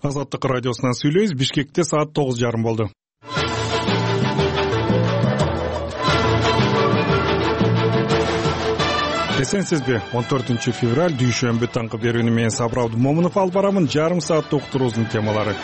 Азаттык радиосунан сүйлөйбүз. Бишкекте саат 9:30 болду. Эсенсизби? 14 февраль дүйшөмбү таңкы берүүнү мен Сабыр Абдумомунов алып барамын. Жарым сааттык уктуруубуздун темалары.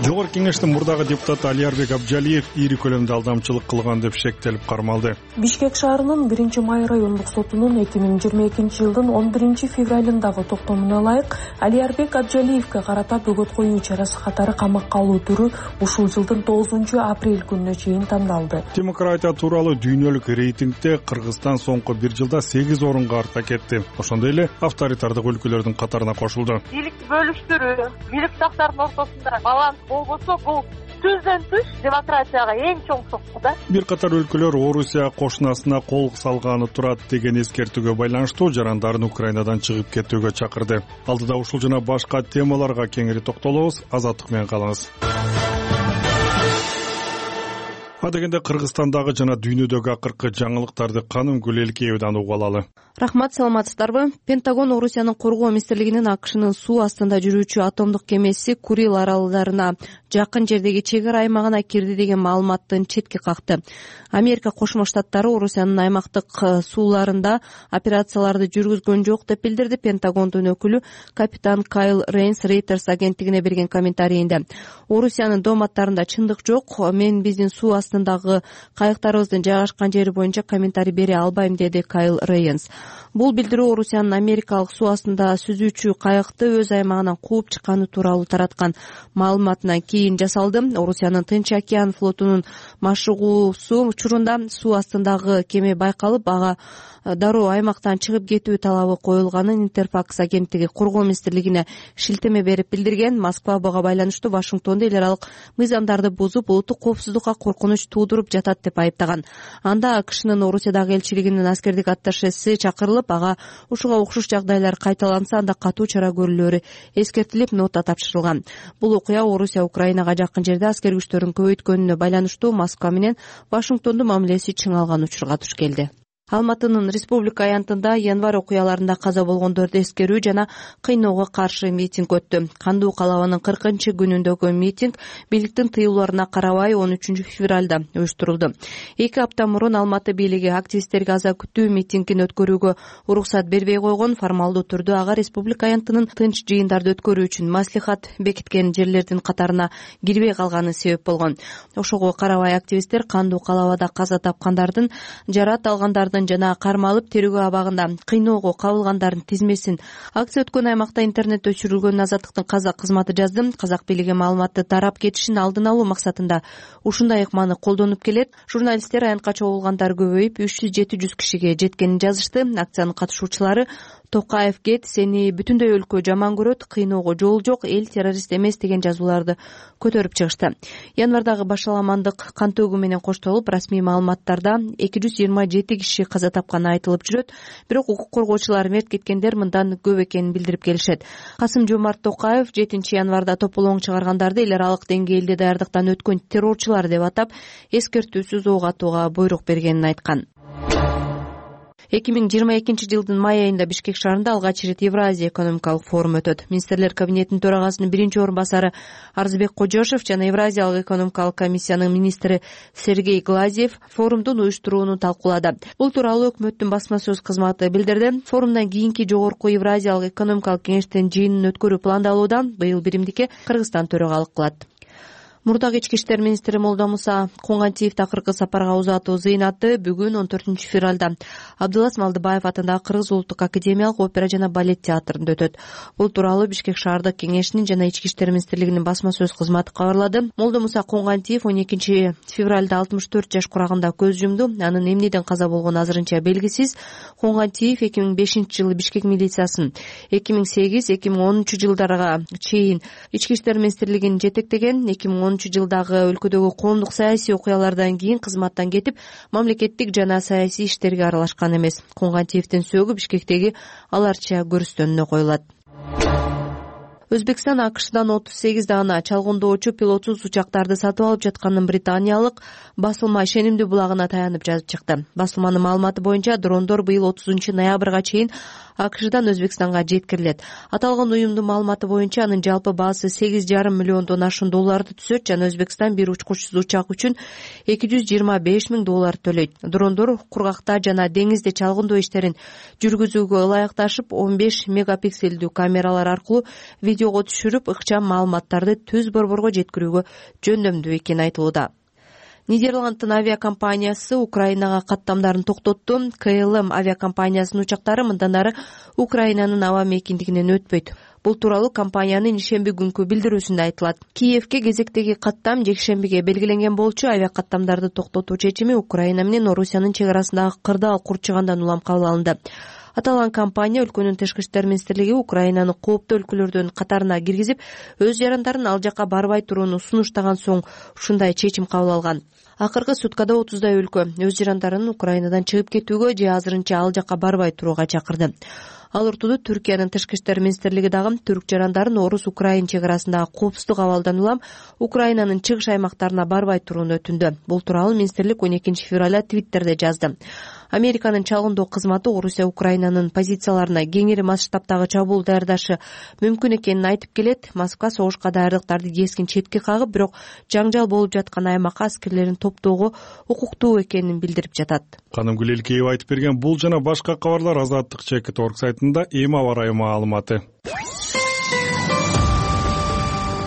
Жогорку Кеңештин мурдагы депутаты Алиарбек Абджалиев ири көлөмдө алдамчылык кылган деп шектелип кармалды. Бишкек шаарынын 1-май райондук сотунун 2022-жылдын 11-февралындагы токтомуна ылайык Алиарбек Абджалиевке карата бөгөт коюу чарасы катары камакка алуу түрү ушул жылдын 9-апрель күнүнө чейин тандалды. Демократия тууралуу дүйнөлүк рейтингде Кыргызстан соңку бир жылда 8 орунга артка кетти. Ошондой эле авторитардык өлкөлөрдүн катарына кошулду. Бийликти бөлүштүрүү, бийликташтардын ортосунда баланс болбосо, бул сөздөн түш демократияга эң чоң сокку да. Бир катар өлкөлөр Орусия кошунасына кол салганы турат деген эскертүүгө байланыштуу жарандарын Украинадан чыгып кетүүгө чакырды. Алдыда ушул жана башка темаларга кеңири токтолобуз. Азаттык менен калыңыз. Адегенде Кыргызстандагы жана дүйнөдөгү акыркы жаңылыктарды Канымгүл Элкеевден угуп алалы. Рахмат, саламатсыздарбы? Пентагон Орусиянын коргоо министрлигинин АКШнын суу астында жүрүүчү атомдук кемеси Курил аралдарына жакын жердеги чек ара аймагына кирди деген маалыматтын четке какты. Америка Кошмо Штаттары Орусиянын аймактык сууларында операцияларды жүргүзгөн жок деп билдирди. Пентагондун өкүлү капитан Кайл Рейнс Reuters агенттигине берген комментарийинде Орусиянын дооматтарында чындык жок, мен биздин суу астындагы кайыктарыбыздын жайгашкан жери боюнча комментарий бере албайм, деди Кайл Рейнс. Бул билдирүү Орусиянын америкалык суу астында сүзүүчү кайыкты өз аймагынан кууп чыкканы тууралуу тараткан маалыматынан кийин жасалды. Орусиянын Тынч океан флотунун машыгуусу учурунда суу астындагы кеме байкалып, ага дароо аймактан чыгып кетүү талабы коюлганын Интерфакс агенттиги коргоо министрлигине шилтеме берип билдирген. Москва буга байланыштуу Вашингтонду эл аралык мыйзамдарды бузуп, улуттук коопсуздукка коркунуч туудуруп жатат деп айыптаган. Анда АКШнын Орусиядагы элчилигинин аскердик атташеси чакырылып, ага ушуга окшош жагдайлар кайталанса анда катуу чара көрүлөөрү эскертилип, нота тапшырылган. Бул окуя Орусия Украинага жакын жерде аскер күчтөрүн көбөйткөнүнө байланыштуу Москва менен Вашингтондун мамилеси чыңалган учурга туш келди. Алматынын Республика аянтында январь окуяларында каза болгондорду эскерүү жана кыйноого каршы митинг өттү. Кандуу калабанын 40-күнүндөгү митинг бийликтин тыюуларына карабай 13-февралда уюштурулду. 2 апта мурун Алматы бийлиги активисттерге аза күтүү митингин өткөрүүгө уруксат бербей койгон. Формалдуу түрдө ага республика аянтынын тынч жыйындарды өткөрүү үчүн маслихат бекиткен жерлердин катарына кирбей калганы себеп болгон. Ошого карабай активисттер кандуу калабада каза тапкандардын, жарат алгандардын жана кармалып терүүгө абагында кыйноого кабылгандардын тизмесин акция өткөн аймакта интернет өчүрүлгөн Азаттыктын казак кызматы жазды. Казак бийлиги маалыматты тарап кетишин алдын алуу максатында ушундай ыкманы колдонуп келет. Журналисттер аянтка чогулгандар көбөйүп 300-700 кишиге жеткенин жазышты. Акциянын катышуучулары Токаев кет, сени бүтүндөй өлкө жаман көрөт, кыйноого жол жок, эл террорист эмес деген жазууларды көтөрүп чыгышты. Январдагы башаламандык кан төгүү менен коштолуп, расмий маалыматтарда 227 киши каза тапканы айтылып жүрөт. Бирок укук коргоочулар мерт кеткендер мындан көп экенин билдирип келишет. Касым-Жомарт Токаев 7 январда тополоң чыгаргандарды эл аралык деңгээлде даярдыктан өткөн террорчулар деп атап, эскертүүсүз ок атууга буйрук бергенин айткан. 2022-жылдын май айында Бишкек шаарында алгач ирет Евразия экономикалык форум өтөт. Министрлер кабинетинин төрагасынын 1-орун басары Арзбек Кожошев жана Евразиялык экономикалык комиссиянын министри Сергей Глазьев форумдун уюштурууну талкуулады. Бул тууралуу өкмөттүн басма сөз кызматы билдирди. Форумдан кийинки жогорку Евразиялык экономикалык кеңештин жыйынын өткөрүү пландалууда. Быйыл биримдикке Кыргызстан төрагалык кылат. Мурдагы ички иштер министри Молдомуса Коңгантиев такыркы сапарга узатуу зыйнаты бүгүн 14 февралда Абдылас Малдыбаев атындагы Кыргыз улуттук академиялык опера жана балет театрында өтөт. Бул тууралуу Бишкек шаардык кеңешинин жана ички иштер министрлигинин басма сөз кызматы кабарлады. Молдомуса Коңгантиев 12 февралда 64 жаш курагында көз жумду. Анын эмнеден каза болгону азырынча белгисиз. Коңгантиев 2005-жылы Бишкек милициясын, 2008-2010 жылдарга чейин ички иштер министрлигин жетектеген. 2010-жылдагы өлкөдөгү коомдук саясий окуялардан кийин кызматтан кетип, мамлекеттик жана саясий иштерге аралашкан эмес. Коңгантиевдин сөөгү Бишкектеги аларча көрүстөнүнө коюлат. Өзбекстан АКШдан 38 даана чалгындоочу пилотсуз учактарды сатып алып жатканын британиялык басылма ишенимдүү булагына таянып жазып чыкты. Басылманын маалыматы боюнча дрондор быйыл 30 ноябрга чейин АКШдан Өзбекстанга жеткирилет. Аталган уюмдун маалыматы боюнча анын жалпы баасы 8,5 миллиондон ашуун долларды түзөт жана Өзбекстан бир учкучсуз учак үчүн $225,000 төлөйт. Дрондор кургакта жана деңизде чалгындоо иштерин жүргүзүүгө ылайыкташып 15 мегапикселдүү камералар аркылуу видеого түшүрүп, ыкчам маалыматтарды түз борборго жеткирүүгө жөндөмдүү экени айтылууда. Нидерландтын авиакомпаниясы Украинага каттамдарын токтотту. КЛМ авиакомпаниясынын учактары мындан ары Украинанын аба мейкиндигинен өтпөйт. Бул тууралуу компаниянын ишемби күнкү билдирүүсүндө айтылат. Киевке кезектеги каттам жекшембиге белгиленген болчу. Авиакаттамдарды токтотуу чечими Украина менен Орусиянын чек арасындагы кырдаал курчугандан улам кабыл алынды. Аталган компания өлкөнүн тышкы иштер министрлиги Украинаны кооптуу өлкөлөрдүн катарына киргизип, өз жарандарын ал жакка барбай турууну сунуштаган соң ушундай чечим кабыл алган. Акыркы суткада 30дай өлкө өз жарандарын Украинадан чыгып кетүүгө же азырынча ал жакка барбай турууга чакырды. Ал ортодо Түркиянын тышкы иштер министрлиги дагы түрк жарандарын орус-украин чек арасындагы коопсуздук абалдан улам Украинанын чыгыш аймактарына барбай турууну өтүндү. Бул тууралуу министрлик 12 февралда Твиттерде жазды. Американын чалгындоо кызматы Орусия Украинанын позицияларына кеңири масштабтагы чабуул даярдашы мүмкүн экенин айтып келет. Москва согушка даярдыктарды кескин четке кагып, бирок жаңжал болуп жаткан аймакка аскерлерин топтоого укуктуу экенин билдирип жатат. Канымгүл Элкеева айтып берген бул жана башка кабарлар Азаттык.org сайтында эми аба ырайы маалыматы.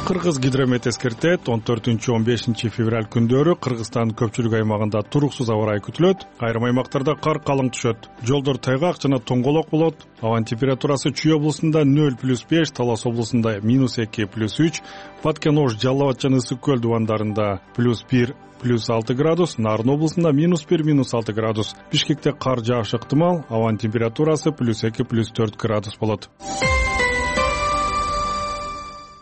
Кыргыз гидромет эскертет, 14-15 февраль күндөрү Кыргызстандын көпчүлүк аймагында туруксуз аба ырайы күтүлөт. Айрым аймактарда кар калың түшөт. Жолдор тайгак жана тоңголок болот. Абанын температурасы Чүй облусунда 0+5, Талас облусунда -2+3, Баткен-Ош, Жалал Абад жана Ысык көл дубандарында +1, +6 градус, Нарын облусунда -1, -6 градус. Бишкекте кар жаашы ыктымал, абанын температурасы +2, +4 градус болот.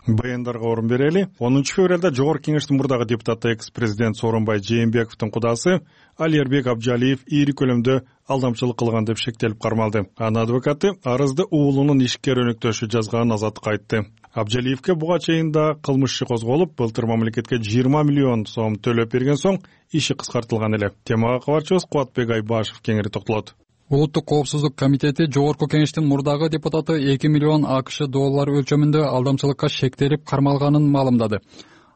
Баяндарга орун берели. 10 февралда Жогорку Кеңештин мурдагы депутаты экс-президент Сооронбай Жээнбековдун кудасы Алиярбек Абджалиев ийри көлөмдө алдамчылык кылган деп шектелип кармалды. Анын адвокаты арызды уулунун ишкер өнөктөшү жазганын Азаттыкка айтты. Абджалиевке буга чейин да кылмыш иши козголуп, былтыр мамлекетке 20 миллион сом төлөп берген соң иши кыскартылган эле. Темага кабарчыбыз Кубатбек Айбашев кеңири токтолот. Улуттук коопсуздук комитети Жогорку Кеңештин мурдагы депутаты 2 миллион АКШ доллар өлчөмүндө алдамчылыкка шектелип кармалганын маалымдады.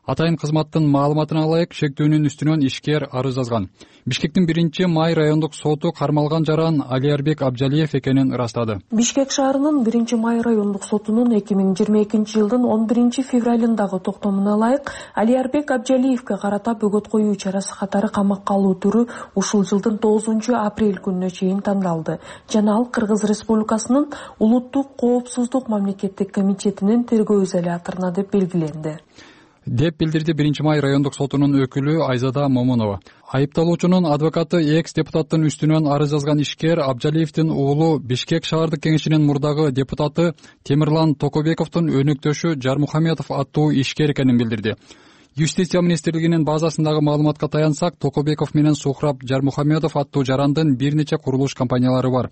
Атайын кызматтын маалыматына ылайык шектөөнүн үстүнөн ишкер арыз жазган. Бишкектин 1-май райондук соту кармалган жаран Алиярбек Абджалиев экенин ырастады. Бишкек шаарынын 1-май райондук сотунун 2022 жылдын 11 февралындагы токтомуна ылайык Алиярбек Абджалиевке карата бөгөт коюу чарасы катары камакка алуу түрү ушул жылдын 9 апрель күнүнө чейин тандалды жана ал Кыргыз Республикасынын Улуттук коопсуздук мамлекеттик комитетинин тергөө изоляторуна деп белгиленди, деп билдирди 1-май райондук сотунун өкүлү Айзада Момунова. Айыпталуучунун адвокаты экс-депутаттын үстүнөн арыз жазган ишкер Абджалиевдин уулу Бишкек шаардык кеңешинин мурдагы депутаты Темирлан Токобековдун өнөктөшү Жармухаметов аттуу ишкер экенин билдирди. Юстиция министрлигинин базасындагы маалыматка таянсак, Токобеков менен Сухраб Жармухаметов аттуу жарандын бир нече курулуш компаниялары бар.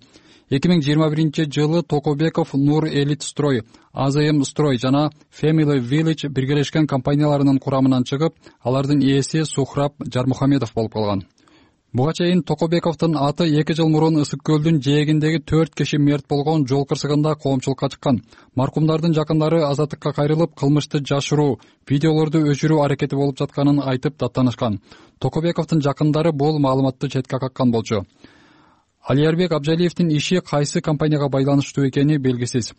2021 жылы Токобеков Нур Элит Строй, АЗМ Строй жана Family Village биргелешкен компанияларынын курамынан чыгып, алардын ээси Сухраб Жармухаметов болуп калган. Буга чейин Токобековдун аты 2 жыл мурун Ысык көлдүн жээгиндеги 4 киши мерт болгон жол кырсыгында коомчулукка чыккан. Маркумдардын жакындары Азаттыкка кайрылып, кылмышты жашыруу, видеолорду өчүрүү аракети болуп жатканын айтып даттанышкан. Токобековдун жакындары бул маалыматты четке каккан болчу. Алиярбек Абджалиевдин иши кайсы компанияга байланыштуу экени белгисиз.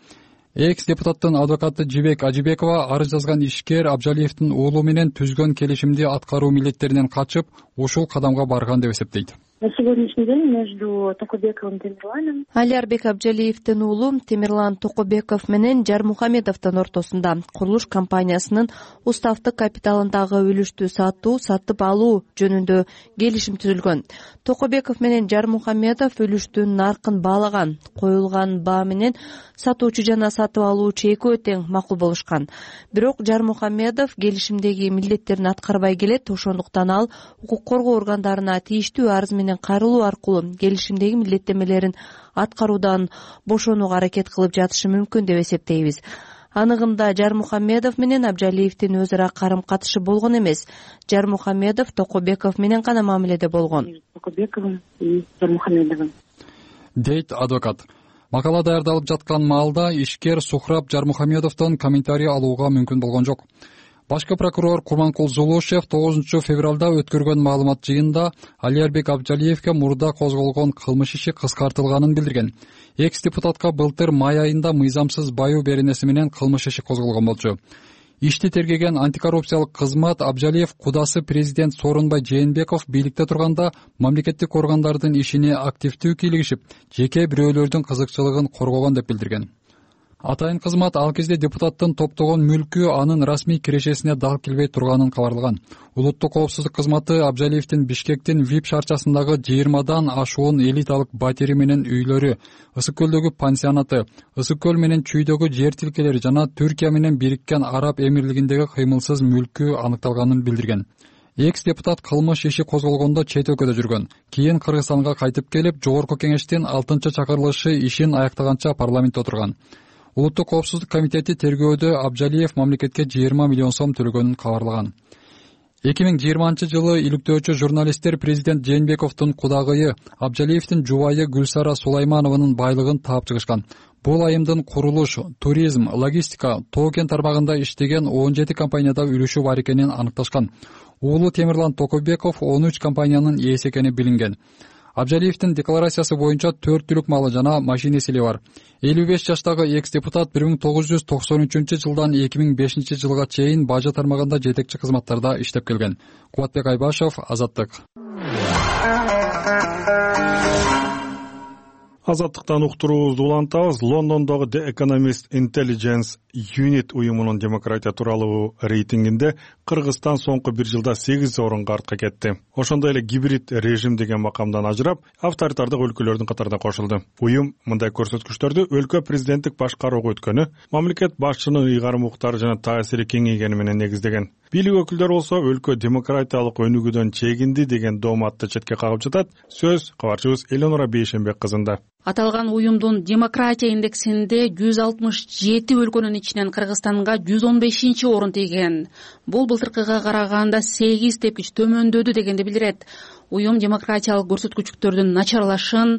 Экс-депутаттын адвокаты Жибек Ажибекова арыз жазган ишкер Абджалиевдин уулу менен түзгөн келишимди аткаруу милдеттеринен качып, ушул кадамга барган деп эсептейт. На сегодняшний день между Токобековым и Темирланом Алиярбек Абджалиевдин уулу Темирлан Токобеков менен Жармухаметовдун ортосунда курулуш компаниясынын уставдык капиталындагы үлүштү сатып алуу жөнүндө келишим түзүлгөн. Токобеков менен Жармухаметов үлүштүн наркын баалаган, коюлган баа менен сатуучу жана сатып алуучу экөө тең макул болушкан. Бирок Жармухаметов келишимдеги милдеттерин аткарбай келет, ошондуктан ал укук коргоо органдарына тийиштүү арыз менен кайрылуу аркылуу келишимдеги милдеттенмелерин аткаруудан бошонууга аракет кылып жатышы мүмкүн деп эсептейбиз. Аныгында Жармухаметов менен Абджалиевдин өз ара карым-катышы болгон эмес. Жармухаметов Токобеков менен гана мамиледе болгон. Токобековым и Жармухамедовым. Дейт адвокат. Макала даярдалып жаткан маалда ишкер Сухраб Жармухамедовдон комментарий алууга мүмкүн болгон жок. Башкы прокурор Курманкул Зулушев 9 февралда өткөргөн маалымат жыйынында Алиарбек Абджалиевке мурда козголгон кылмыш иши кыскартылганын билдирген. Экс-депутатка былтыр май айында мыйзамсыз баюу беренеси менен кылмыш иши козголгон болчу. Ишти тергеген антикоррупциялык кызмат Абджалиев кудасы президент Сооронбай Жээнбеков бийликте турганда мамлекеттик органдардын ишине активдүү кийлигишип, жеке бирөөлөрдүн кызыкчылыгын коргогон деп билдирген. Атайын кызмат ал кезде депутаттын топтогон мүлкү анын расмий кирешесине дал келбей турганын кабарлаган. Улуттук коопсуздук кызматы Абджалиевдин Бишкектин ВИП шаарчасындагы 20дан ашуун элиталык батири менен үйлөрү, Ысык көлдөгү пансионаты, Ысык көл менен Чүйдөгү жер тилкелери жана Түркия менен Бириккен Араб Эмирлигиндеги кыймылсыз мүлкү аныкталганын билдирген. Экс-депутат кылмыш иши козголгондо чет өлкөдө жүргөн. Кийин Кыргызстанга кайтып келип, Жогорку кеңештин 6-чакырылышы ишин аяктаганча парламентте отурган. Улуттук коопсуздук комитети тергөөдө Абджалиев мамлекетке 20 миллион сом төлөгөнүн кабарлаган. 2020 иликтөөчү журналисттер президент Жээнбековдун кудагыйы Абджалиевдин жубайы Гүлсара Сулайманованын байлыгын таап чыгышкан. Бул айымдын курулуш, туризм, логистика, тоо-кен тармагында иштеген 17 компанияда үлүшү бар экенин аныкташкан. Уулу Темирлан Токобеков 13 компаниянын ээси экени билинген. Абджалиевдин декларациясы боюнча 4 түлүк малы жана машина сили бар. 55 жаштагы экс-депутат 1993 жылдан 2005 жылга чейин бажы тармагында жетекчи кызматтарда иштеп келген. Кубатбек Айбашев, Азаттык. Азаттыктан уктуруубузду улантабыз. Лондондогу The Economist Intelligence Unit уюмунун демократия тууралуу рейтингинде Кыргызстан соңку бир жылда 8 орунга артка кетти. Ошондой эле гибрид режим деген макамдан ажырап, авторитардык өлкөлөрдүн катарына кошулду. Уюм мындай көрсөткүчтөрдү өлкө президенттик башкарууга өткөнү, мамлекет башчынын ыйгарым укуктары жана таасири кеңейгени менен негиздеген. Бийлик өкүлдөрү болсо өлкө демократиялык өнүгүүдөн чегинди деген дооматты четке кагып жатат. Сөз кабарчыбыз Эленора Бейшенбек кызында. Аталган уюмдун демократия индексинде 167 өлкөнүн ичинен Кыргызстанга 115 орун тийген. Бул былтыркыга караганда 8 тепкич төмөндөдү дегенди билдирет. Уюм демократиялык көрсөткүчтөрдүн начарлашын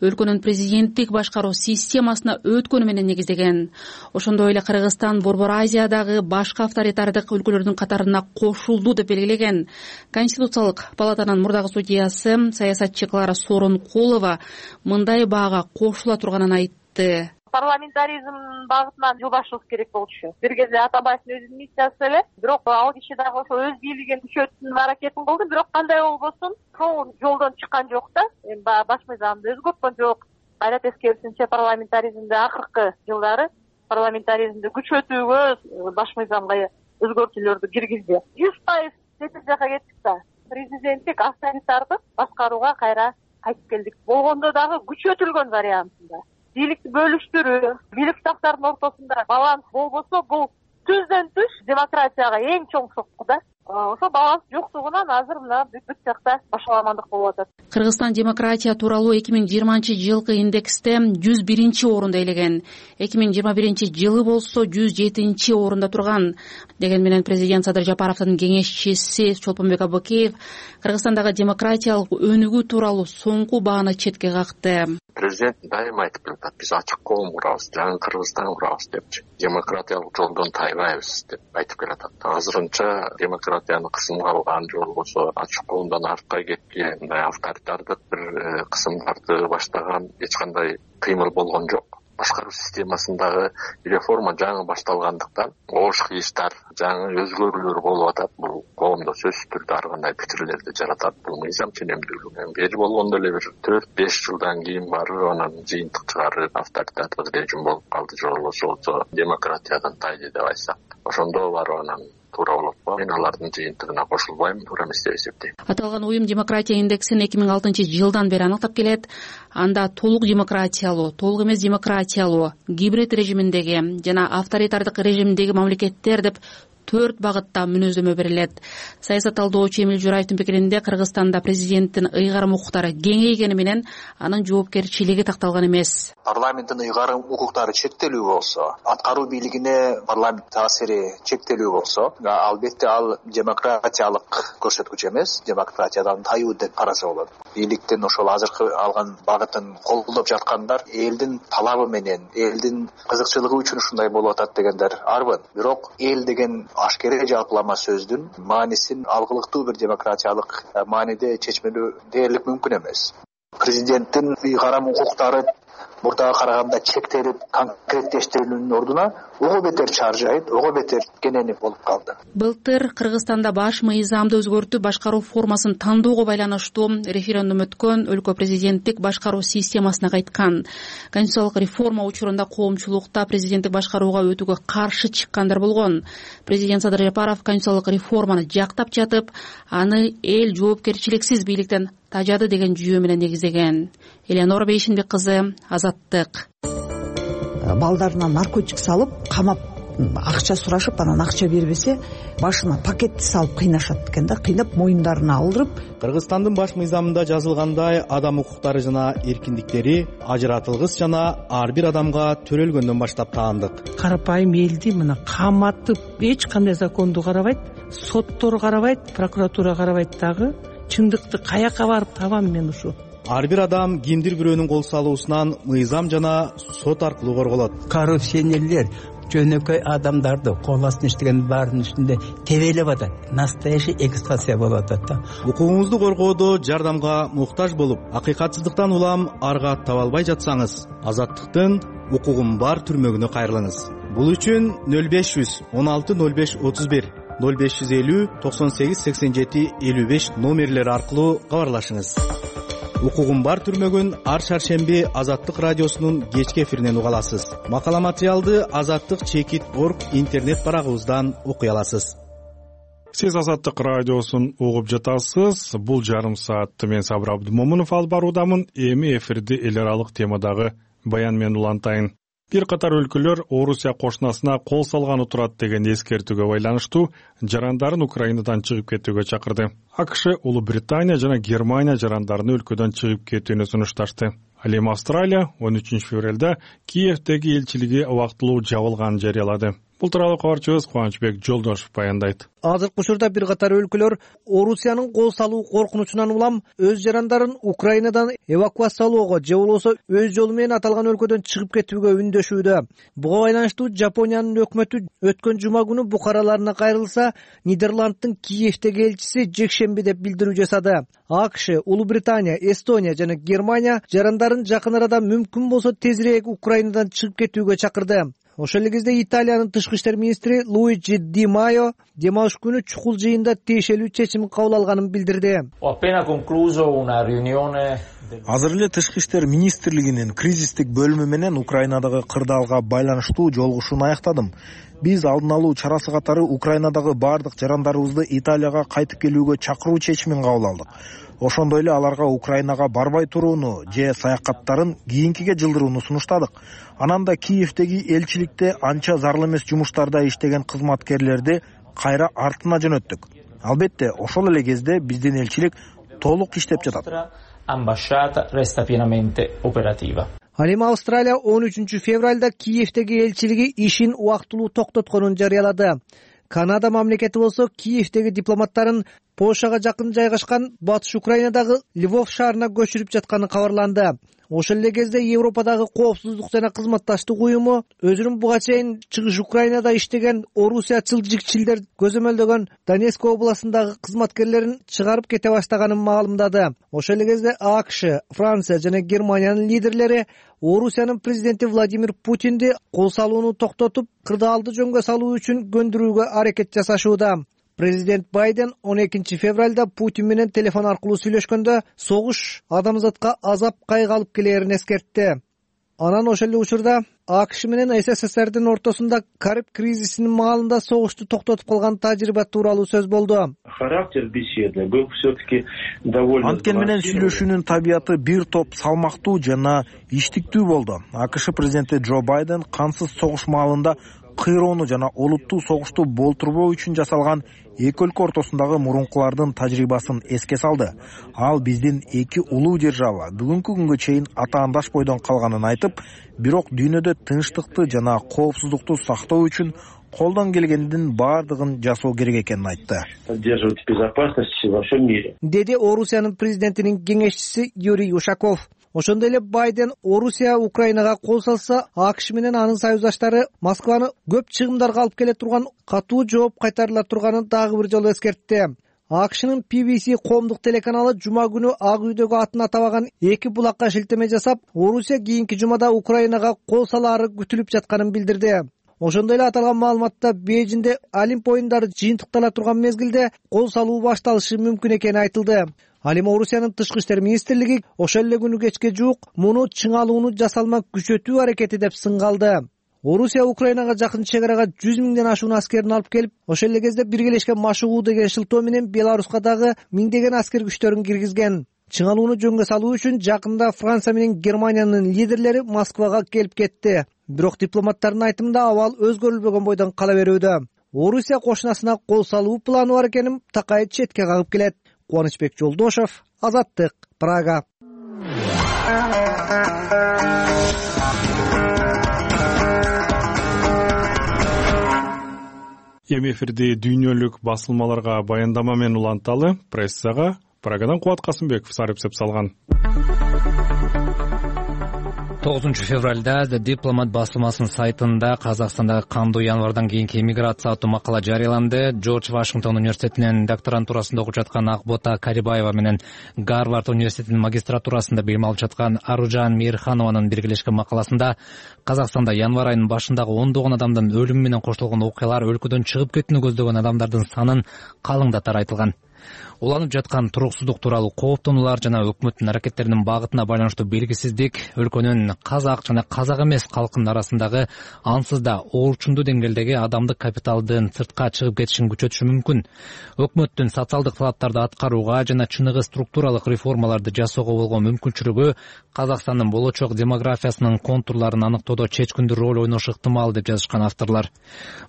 өлкөнүн президенттик башкаруу системасына өткөнү менен негиздеген. Ошондой эле Кыргызстан Борбор Азиядагы башка авторитардык өлкөлөрдүн катарына кошулду деп белгилеген. Конституциялык палатанын мурдагы судьясы саясатчы Клара Сооронкулова мындай баага кошула турганын айтты. Парламентаризм багытынан жылбашыбыз керек болчу. Бир кезде Атабаевдин өзүнүн миссиясы эле, бирок ал киши дагы ошо өз бийлигин күчөтүүнүн аракетин кылды, бирок кандай болбосун, ошол жолдон чыккан жок да. Баш мыйзамды өзгөрткөн жок. Кайра тескерисинче парламентаризмде акыркы жылдары парламентаризмди күчөтүүгө баш мыйзамга өзгөртүүлөрдү киргизди. 100% чети жака кеттик да. Президенттик авторитардык башкарууга кайра кайтып келдик. Болгондо дагы күчөтүлгөн вариантында. Бийликти бөлүштүрүү, бийлик сактардын ортосунда баланс болбосо, бул түздөн түз демократияга эң чоң сокку да. Ошо баланс жоктугунан азыр мына бүт жакта башаламандык болуп атат. Кыргызстан демократия тууралуу 2020 жылкы индексте 101 орунда ээлеген. 2021 жылы болсо 107 орунда турган. Деген менен президент Садыр Жапаровдун кеңешчиси Чолпонбек Абыкеев Кыргызстандагы демократиялык өнүгүү тууралуу соңку бааны четке какты. Президент дайыма айтып келатат, биз ачык коом курабыз, жаңы Кыргызстан курабыз депчи. Демократиялык жолдон тайбайбыз деп айтып келатат. Азырынча демократияны кысымга алган же болбосо ачык коомдон артка кеткен, мындай авторитардык бир кысымдарды баштаган эч кандай кыймыл болгон жок. Башкаруу системасындагы реформа жаңы башталгандыктан оош кыйыштар, жаңы өзгөрүүлөр болуп атат. Бул коомдо сөзсүз түрдө ар кандай пикирлерди жаратат. Бул мыйзам ченемдүүлүгү. Бери болгондо эле бир 4-5 жылдан кийин барып анан жыйынтык чыгарып авторитардык режим болуп калды же болбосо демократиядан тайды деп айтсак, ошондо барып анан туура болот. Мен алардын жыйынтыгына кошулбайм, туура эмес деп эсептейм. Аталган уюм демократия индексин 2006 жылдан бери аныктап келет. Анда толук демократиялуу, толук эмес демократиялуу, гибрид режиминдеги жана авторитардык режимдеги мамлекеттер деп 4 багытта мүнөздөмө берилет. Саясат талдоочу Эмил Жураевдин пикиринде Кыргызстанда президенттин ыйгарым укуктары кеңейгени менен анын жоопкерчилиги такталган эмес. Парламенттин ыйгарым укуктары чектелүү болсо, аткаруу бийлигине парламент таасири чектелүү болсо, албетте ал демократиялык көрсөткүч эмес, демократиядан тайуу деп караса болот. Бийликтин ошол азыркы алган багытын колдоп жаткандар элдин талабы менен, элдин кызыкчылыгы үчүн ушундай болуп атат дегендер арбын. Бирок эл деген ашкере жалпылама сөздүн маанисин алгылыктуу бир демократиялык мааниде чечмелөө дээрлик мүмкүн эмес. Президенттин ыйгарым укуктары мурдага караганда чектелип конкреттештирүүнүн ордуна ого бетер чаржайып, ого бетер кененип болуп калды. Былтыр Кыргызстанда баш мыйзамды өзгөртүп башкаруу формасын тандоого байланыштуу референдум өткөн, өлкө президенттик башкаруу системасына кайткан. Конституциялык реформа учурунда коомчулукта президенттик башкарууга өтүүгө каршы чыккандар болгон. Президент Садыр Жапаров конституциялык реформаны жактап жатып, аны эл жоопкерчиликсиз бийликтен тажады деген жүйө менен негиздеген. Элеонора Бейшинбек кызы, Азаттык. Балдарына наркотик салып, камап, акча сурашып, анан акча бербесе, башына пакетти салып кыйнашат экен да, кыйнап моюндарына алдырып. Кыргызстандын баш мыйзамында жазылгандай, адам укуктары жана эркиндиктери ажыратылгыс жана ар бир адамга төрөлгөндөн баштап таандык. Карапайым элди мына каматып, эч кандай законду карабайт, соттор карабайт, прокуратура карабайт дагы. Чындыкты каяка барып табам мен ушу? Ар бир адам кимдир бирөөнүн кол салуусунан мыйзам жана сот аркылуу корголот. Коррупционерлер жөнөкөй адамдарды кол астына иштеген баардын үстүндө тебелеп атат. Настоящий эксплуатация болуп атат да. Укугуңузду коргоодо жардамга муктаж болуп, акыйкатсыздыктан улам арга таба албай жатсаңыз, Азаттыктын укугум бар түрмөгүнө кайрылыңыз. Бул үчүн 0500 16 05 31 0550 98 87 55 номерлери аркылуу кабарлашыңыз. Укугум бар түрмөгүн ар шаршемби Азаттык радиосунун кечки эфиринен уга аласыз. Макала материалды azattik.org интернет барагыбыздан окуй аласыз. Сиз Азаттык радиосун угуп жатасыз. Бул жарым саатты мен Сабыр Абдымомунов алып баруудамын. Эми эфирди эл аралык темадагы баян менен улантайын. Бир катар өлкөлөр Орусия кошунасына кол салганы турат деген эскертүүгө байланыштуу жарандарын Украинадан чыгып кетүүгө чакырды. АКШ, Улуу Британия жана Германия жарандарын өлкөдөн чыгып кетүүнү сунушташты. Ал эми Австралия 13 февралда Киевдеги элчилиги убактылуу жабылганын жарыялады. Бул тууралуу кабарчыбыз Кубанычбек Жолдошев баяндайт. Азыркы учурда бир катар өлкөлөр Орусиянын кол салуу коркунучунан улам өз жарандарын Украинадан эвакуациялоого же болбосо өз жолу менен аталган өлкөдөн чыгып кетүүгө үндөшүүдө. Буга байланыштуу Жапониянын өкмөтү өткөн жума күнү букараларына кайрылса, Нидерланддын Киевдеги элчиси жекшемби деп билдирүү жасады. АКШ, Улуу Британия, Эстония жана Германия жарандарын жакын арада мүмкүн болсо тезирээк Украинадан чыгып кетүүгө чакырды. Ошол эле кезде Италиянын тышкы иштер министри Луиджи Ди Майо демалыш күнү чукул жыйында тиешелүү чечим кабыл алганын билдирди. Азыр эле тышкы иштер министрлигинин кризистик бөлүмү менен Украинадагы кырдаалга байланыштуу жолугушууну аяктадым. Биз алдын алуу чарасы катары Украинадагы бардык жарандарыбызды Италияга кайтып келүүгө чакыруу чечимин кабыл алдык. Ошондой эле аларга Украинага барбай турууну же саякаттарын кийинкиге жылдырууну сунуштадык. Анан да Киевдеги элчиликте анча зарыл эмес жумуштарда иштеген кызматкерлерди кайра артына жөнөттүк. Албетте, ошол эле кезде биздин элчилик толук иштеп жатат. Ал эми Австралия 13 февралда Киевдеги элчилиги ишин убактылуу токтотконун жарыялады. Канада мамлекети болсо Киевдеги дипломаттарын Польшага жакын жайгашкан Батыш Украинадагы Львов шаарына көчүрүп жатканы кабарланды. Ошол эле кезде Европадагы коопсуздук жана кызматташтык уюму өзүнүн буга чейин чыгыш Украинада иштеген орусиячыл көзөмөлдөгөн Донецк областындагы кызматкерлерин чыгарып кете баштаганын маалымдады. Ошол эле кезде АКШ, Франция жана Германиянын лидерлери Орусиянын президенти Владимир Путинди кол салууну токтотуп, кырдаалды жөнгө салуу үчүн көндүрүүгө аракет жасашууда. Президент Байден 12 февралда Путин менен телефон аркылуу сүйлөшкөндө согуш адамзатка азап кайгы алып келерин эскертти. Анан ошол эле учурда АКШ менен СССРдин ортосунда Кариб кризисинин маалында согушту токтотуп калган тажрыйба тууралуу сөз болду. Характер беседы был все-таки довольно. Анткени менен сүйлөшүүнүн табияты бир топ салмактуу жана иштиктүү болду. АКШ президенти Джо Байден кансыз согуш маалында кыйроону жана олуттуу согушту болтурбоо үчүн жасалган эки өлкө ортосундагы мурункулардын тажрыйбасын эске салды. Ал биздин эки улуу держава бүгүнкү күнгө чейин атаандаш бойдон калганын айтып, бирок дүйнөдө тынчтыкты жана коопсуздукту сактоо үчүн колдон келгендин баардыгын жасоо керек экенин айтты. Поддерживать безопасность во всем мире, деди Орусиянын президентинин кеңешчиси Юрий Ушаков. Ошондой эле Байден Орусия Украинага кол салса, АКШ менен анын союздаштары Москваны көп чыгымдарга алып келе турган катуу жооп кайтарыла турганын дагы бир жолу эскертти. АКШнын PBC коомдук телеканалы жума күнү Ак үйдөгү атын атабаган эки булакка шилтеме жасап, Орусия кийинки жумада Украинага кол салаары күтүлүп жатканын билдирди. Ошондой эле аталган маалыматта Бейжиңде Олимп оюндары жыйынтыктала турган мезгилде кол салуу башталышы мүмкүн экени айтылды. Ал эми Орусиянын тышкы иштер министрлиги ошол эле күнү кечке жуук муну чыңалууну жасалма күчөтүү аракети деп сынгалды. Орусия Украинага жакын чек арага 100 миңден ашуун аскерин алып келип, ошол эле кезде биргелешкен машыгуу деген шылтоо менен Беларуска дагы миңдеген аскер күчтөрүн киргизген. Чыңалууну жөнгө салуу үчүн жакында Франция менен Германиянын лидерлери Москвага келип кетти. Бирок дипломаттардын айтымында абал өзгөрүлбөгөн бойдон кала берүүдө. Орусия кошунасына кол салуу планы бар экенин такай четке кагып келет. Кубанычбек Жолдошев, Азаттык, Прага. Эми эфирди дүйнөлүк басылмаларга баяндама менен уланталы. Прессага Прагадан Кубат Касымбеков сарыпсеп салган. 9 февралда Дипломат басылмасынын сайтында Казакстандагы кандуу январдан кийинки эмиграция аттуу макала жарыяланды. Джордж Вашингтон университетинин докторантурасында окуп жаткан Акбота Карибаева менен Гарвард университетинин магистратурасында билим алып жаткан Аружан Мейирханованын биргелешкен макаласында Казакстанда январь айынын башындагы ондогон адамдын өлүмү менен коштолгон окуялар өлкөдөн чыгып кетүүнү көздөгөн адамдардын санын калыңдатары айтылган. Уланып жаткан туруксуздук тууралуу кооптонуулар жана өкмөттүн аракеттеринин багытына байланыштуу белгисиздик өлкөнүн казак жана казак эмес калкынын арасындагы ансыз да оорчундуу деңгээлдеги адамдык капиталдын сыртка чыгып кетишин күчөтүшү мүмкүн. Өкмөттүн социалдык талаптарды аткарууга жана чыныгы структуралык реформаларды жасоого болгон мүмкүнчүлүгү Казакстандын болочок демографиясынын контурларын аныктоодо чечкиндүү роль ойношу ыктымал деп жазышкан авторлор.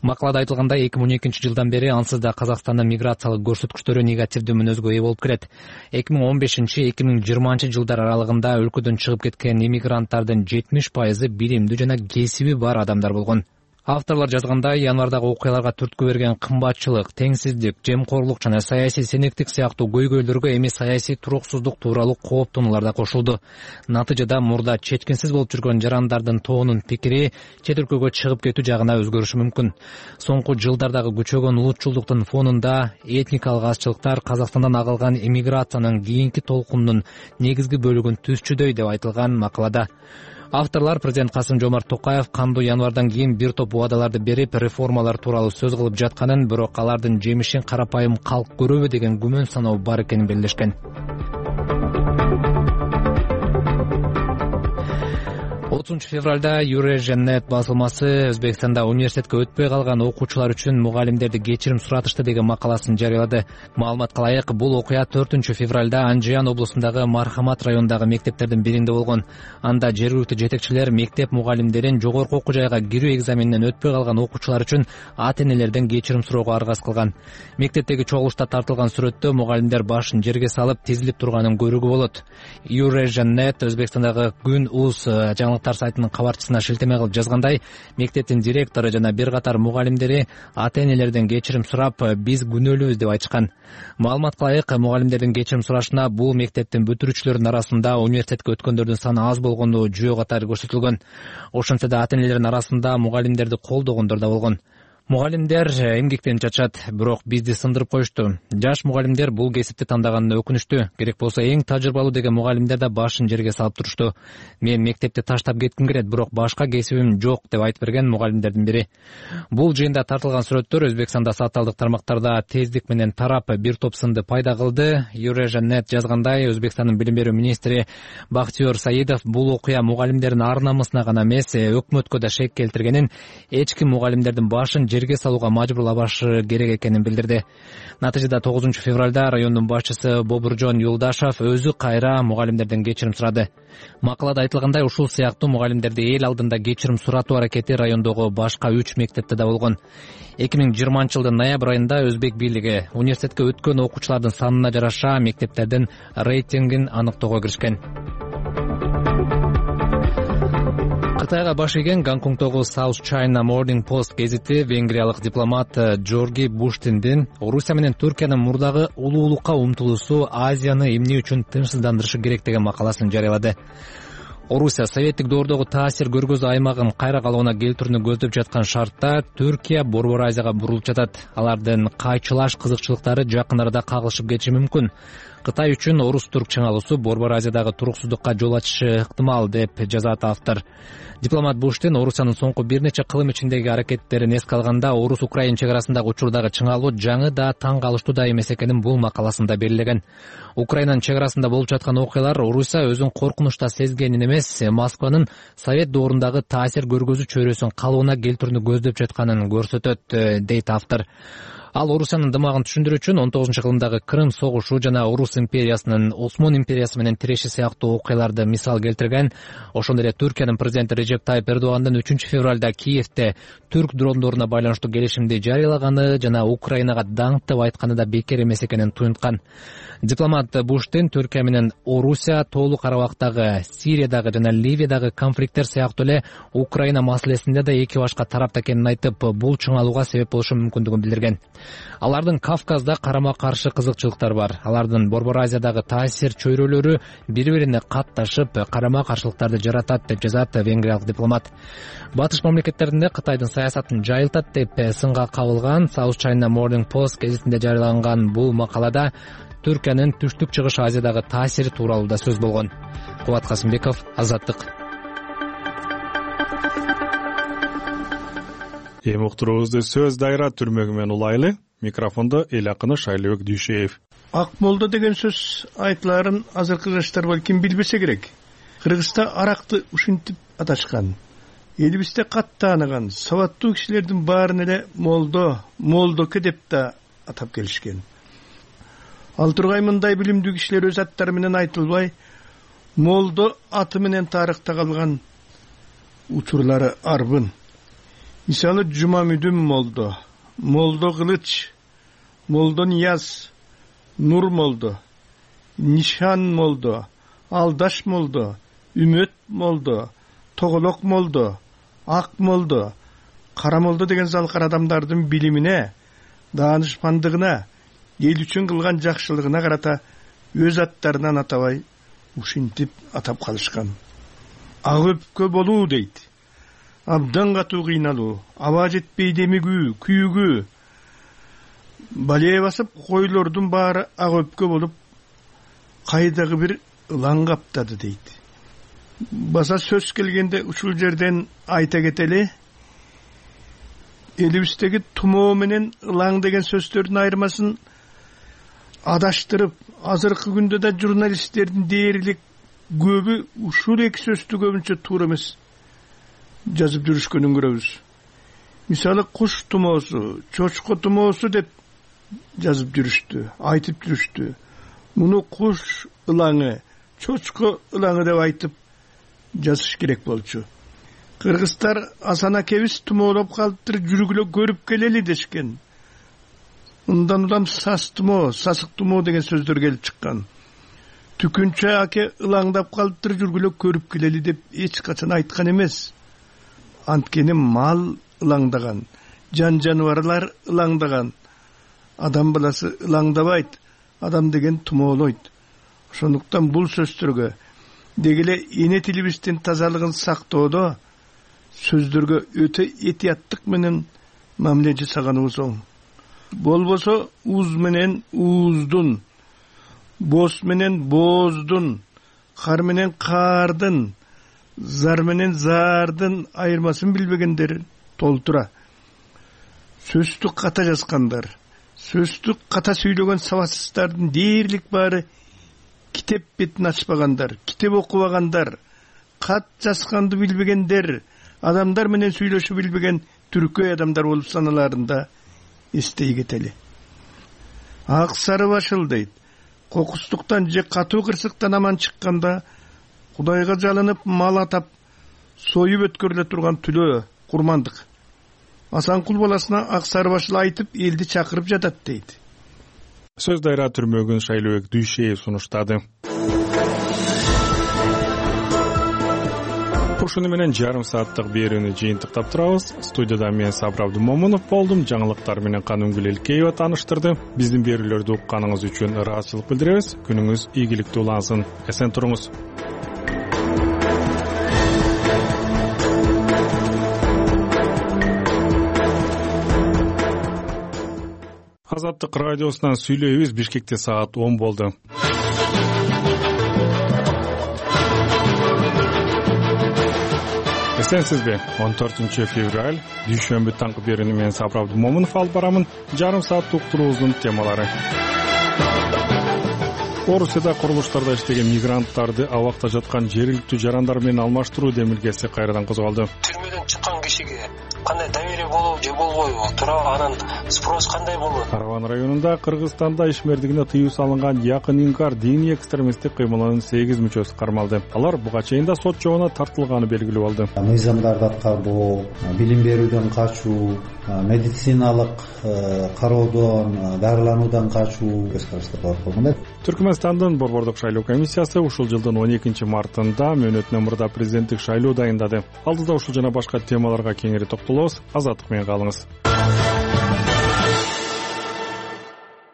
Макалада айтылгандай 2012 жылдан бери ансыз да Казакстандын миграциялык көрсөткүчтөрү негативдүү мүнөзгө ээ болуп келет. 2015-2020 жылдар аралыгында өлкөдөн чыгып кеткен иммигранттардын 70% билимдүү жана кесиби бар адамдар болгон. Авторлор жазгандай, январдагы окуяларга түрткү берген кымбатчылык, теңсиздик, жемкорлук жана саясий сенектик сыяктуу көйгөйлөргө эми саясий туруксуздук тууралуу кооптонуулар да кошулду. Натыйжада мурда чечкинсиз болуп жүргөн жарандардын тобунун пикири чет өлкөгө чыгып кетүү жагына өзгөрүшү мүмкүн. Соңку жылдардагы күчөгөн улутчулдуктун фонунда этникалык азчылыктар Казакстандан агылган эмиграциянын кийинки толкунунун негизги бөлүгүн түзчүдөй деп айтылган макалада. Авторлор президент Касым-Жомарт Токаев кандуу январдан кийин бир топ убадаларды берип, реформалар тууралуу сөз кылып жатканын, бирок алардын жемишин карапайым калк көрөбү деген күмөн саноо бар экенин белгилешкен. 30 февралда Eurasian.net басылмасы Өзбекстанда университетке өтпөй калган окуучулар үчүн мугалимдерди кечирим суратышты деген макаласын жарыялады. Маалыматка ылайык, бул окуя 4 февралда Анжиян облусундагы Мархамат районундагы мектептердин биринде болгон. Анда жергиликтүү жетекчилер мектеп мугалимдерин жогорку окуу жайга кирүү экзаменинен өтпөй калган окуучулар үчүн ата-энелерден кечирим суроого аргасыз кылган. Мектептеги чогулушта тартылган сүрөттө мугалимдер башын жерге салып тизилип турганын көрүүгө болот. Eurasian.net Өзбекстандагы Күн УЗ жаңылыктар сайтынын кабарчысына шилтеме кылып жазгандай, мектептин директору жана бир катар мугалимдери ата-энелерден кечирим сурап, биз күнөөлүүбүз деп айтышкан. Маалыматка ылайык, мугалимдердин кечирим сурашына бул мектептин бүтүрүүчүлөрүнүн арасында университетке өткөндөрдүн саны аз болгону жүйө катары көрсөтүлгөн. Ошентсе да ата-энелердин арасында мугалимдерди колдогондор да болгон. Мугалимдер эмгектенип жатышат, бирок бизди сындырып коюшту. Жаш мугалимдер бул кесипти тандаганы өкүнүчтүү. Керек болсо эң тажрыйбалуу деген мугалимдер да башын жерге салып турушту. Мен мектепти таштап кетким келет, бирок башка кесибим жок деп айтып берген мугалимдердин бири. Бул жыйында тартылган сүрөттөр Өзбекстанда социалдык тармактарда тездик менен тарап бир топ сынды пайда кылды. Eurasian.net жазгандай, Өзбекстандын билим берүү министри Бахтиёр Саидов бул окуя мугалимдердин ар намысына гана эмес, өкмөткө да шек келтиргенин, эч ким мугалимдердин башын жерге салууга мажбурлабашы керек экенин билдирди. Натыйжада 9 февралда райондун башчысы Бобуржон Юлдашев өзү кайра мугалимдерден кечирим сурады. Макалада айтылгандай, ушул сыяктуу мугалимдерди эл алдында кечирим суратуу аракети райондогу башка 3 мектепте да болгон. 2020-жылдын ноябрь айында өзбек бийлиги университетке өткөн окуучулардын санына жараша мектептердин рейтингин аныктоого киришкен. Кытайга баш ийген Гонконгдогу South China Morning Post гезити венгриялык дипломат Джорги Буштиндин Орусия менен Түркиянын мурдагы улуулукка умтулуусу Азияны эмне үчүн тынчсыздандырышы керек деген макаласын жарыялады. Орусия советтик доордогу таасир көргөзүү аймагын кайра калыбына келтирүүнү көздөп жаткан шартта Түркия Борбор Азияга бурулуп жатат. Алардын кайчылаш кызыкчылыктары жакын арада кагылышып кетиши мүмкүн. Кытай үчүн орус-түрк чыңалуусу Борбор Азиядагы туруксуздукка жол ачышы ыктымал деп жазат автор. Дипломат Буштин Орусиянын соңку бир нече кылым ичиндеги аракеттерин эске алганда орус-украин чек арасындагы учурдагы чыңалуу жаңы да таң калыштуу да эмес экенин бул макаласында белгилеген. Украинанын чек арасында болуп жаткан окуялар Орусия өзүн коркунучта сезгенин эмес, Москванын Совет доорундагы таасир көргөзүү чөйрөсүн калыбына келтирүүнү көздөп жатканын көрсөтөт, дейт автор. Ал Орусиянын дымагын түшүндүрүү үчүн 19-кылымдагы Крым согушу жана Орус империясынын Осмон империясы менен тиреши сыяктуу окуяларды мисал келтирген. Ошондой эле Түркиянын президенти Режеп Тайып Эрдогандын 3 февралда Киевде түрк дрондоруна байланыштуу келишимди жарыялаганы жана Украинага даңктап айтканы да бекер эмес экенин туюнткан. Дипломат Буштин Түркия менен Орусия тоолуу Карабактагы, Сириядагы жана Ливиядагы конфликттер сыяктуу эле Украина маселесинде да эки башка тарапта экенин айтып, бул чыңалууга себеп болушу мүмкүндүгүн билдирген. Алардын Кавказда карама-каршы кызыкчылыктары бар. Алардын Борбор Азиядагы таасир чөйрөлөрү бири-бирине катташып, карама-каршылыктарды жаратат деп жазат венгриялык дипломат. Батыш мамлекеттеринде Кытайдын саясатын жайылтат деп сынга кабылган South China Morning Post гезитинде жарыяланган бул макалада Түркиянын түштүк-чыгыш Азиядагы таасири тууралуу да сөз болгон. Кубат Касымбеков, Азаттык. Эми уктуруубузду сөз дайра түрмөгү менен улайлы. Микрофондо эл акыны Шайлыбек Дүйшеев. Ак молдо деген сөз айтыларын азыркы жаштар балким билбесе керек. Кыргызста аракты ушинтип аташкан. Элибизде кат тааныган сабаттуу кишилердин баарын эле молдоке деп да атап келишкен. Ал тургай мындай билимдүү кишилер өз аттары менен айтылбай, молдо аты менен тарыхта калган учурлары арбын. Мисалы Жумамүдүн молдо, молдо Кылыч, молдо Нияз, Нур молдо, Нишан молдо, Алдаш молдо, Үмөт молдо, Тоголок молдо, Ак молдо, Кара молдо деген залкар адамдардын билимине, даанышмандыгына, эл үчүн кылган жакшылыгына карата өз аттарынан атабай ушинтип атап калышкан. Ак өпкө болуу дейт. Абдан катуу кыйналуу, аба жетпей демигүү, күйүгүү. Балээ басып койлордун баары ак өпкө болуп, кайдагы бир ылаң каптады дейт. Баса сөз келгенде ушул жерден айта кетели, элибиздеги тумоо менен ылаң деген сөздөрдүн айырмасын адаштырып, азыркы күндө да журналисттердин дээрлик көбү ушул эки сөздү көбүнчө туура эмес жазып жүрүшкөнүн көрөбүз. Мисалы куш тумоосу, чочко тумоосу деп жазып жүрүштү, айтып жүрүштү. Муну куш ылаңы, чочко ылаңы деп айтып жазыш керек болчу. Кыргыздар Асан акебиз тумоолоп калыптыр, жүргүлө көрүп келели дешкен. Ундан улам сас тумоо, сасык тумоо деген сөздөр келип чыккан. Түкүнчө аке ылаңдап калыптыр, жүргүлө көрүп келели деп эч качан айткан эмес. Анткени мал ылаңдаган, жан-жаныбарлар ылаңдаган. Адам баласы ылаңдабайт, адам деген тумоолойт. Ошондуктан бул сөздөргө дегеле эне тилибиздин тазалыгын сактоодо сөздөргө өтө этияттык менен мамиле жасаганыбыз оң. Болбосо уз менен ууздун, боз менен бооздун, кар менен каардын, зар менен зардын айырмасын билбегендер толтура. Сөздү ката жазгандар, сөздү ката сүйлөгөн сабатсыздардын дээрлик баары китеп бетин ачпагандар, китеп окубагандар, кат жазганды билбегендер, адамдар менен сүйлөшүп билбеген түркөй адамдар болуп саналарын да эстей кетели. Ак сары башыл дейт, кокустуктан же катуу кырсыктан аман чыкканда Кудайга жалынып мал атап союп өткөрүлө турган түлөө курмандык. Асанкул баласына ак сары башыл айтып элди чакырып жатат дейт. Сөз дайра түрмөгүн Шайлообек Дүйшеев сунуштады. Ушуну менен жарым сааттык берүүнү жыйынтыктап турабыз. Студияда мен Сабыр Абдымомунов болдум. Жаңылыктар менен Канымгүл Элкеева тааныштырды. Биздин берүүлөрдү укканыңыз үчүн ыраазычылык билдиребиз. Күнүңүз ийгиликтүү улансын. Эсен туруңуз. Азаттык радиосунан сүйлөйбүз. Бишкекте саат 10 болду. Эсенсизби? 14 февраль дүйшөмбү таңкы берүүнү мен Сабыр Абдымомунов алып барамын. Жарым саат уктуруубуздун темалары. Орусияда курулуштарда иштеген мигранттарды абакта жаткан жергиликтүү жарандар менен алмаштыруу демилгеси кайрадан козголду. Түрмөдөн чыккан кишиге кандай доверие болобу же болбойбу? Туурабы анан спрос кандай болот? Караван районунда Кыргызстанда ишмердигине тыюу салынган Якын Инкар диний экстремисттик кыймылынын 8 мүчөсү кармалды. Алар буга чейин да сот жообуна тартылганы белгилүү болду. Мыйзамдарды аткарбоо, билим берүүдөн качуу, медициналык кароодон, дарылануудан качуу көз караштар бар болгон. Түркмөнстандын борбордук шайлоо комиссиясы ушул жылдын 12 мартында мөөнөтүнөн мурда президенттик шайлоо дайындады. Алдыда ушул жана башка темаларга кеңири токтолобуз. Азаттык менен калыңыз.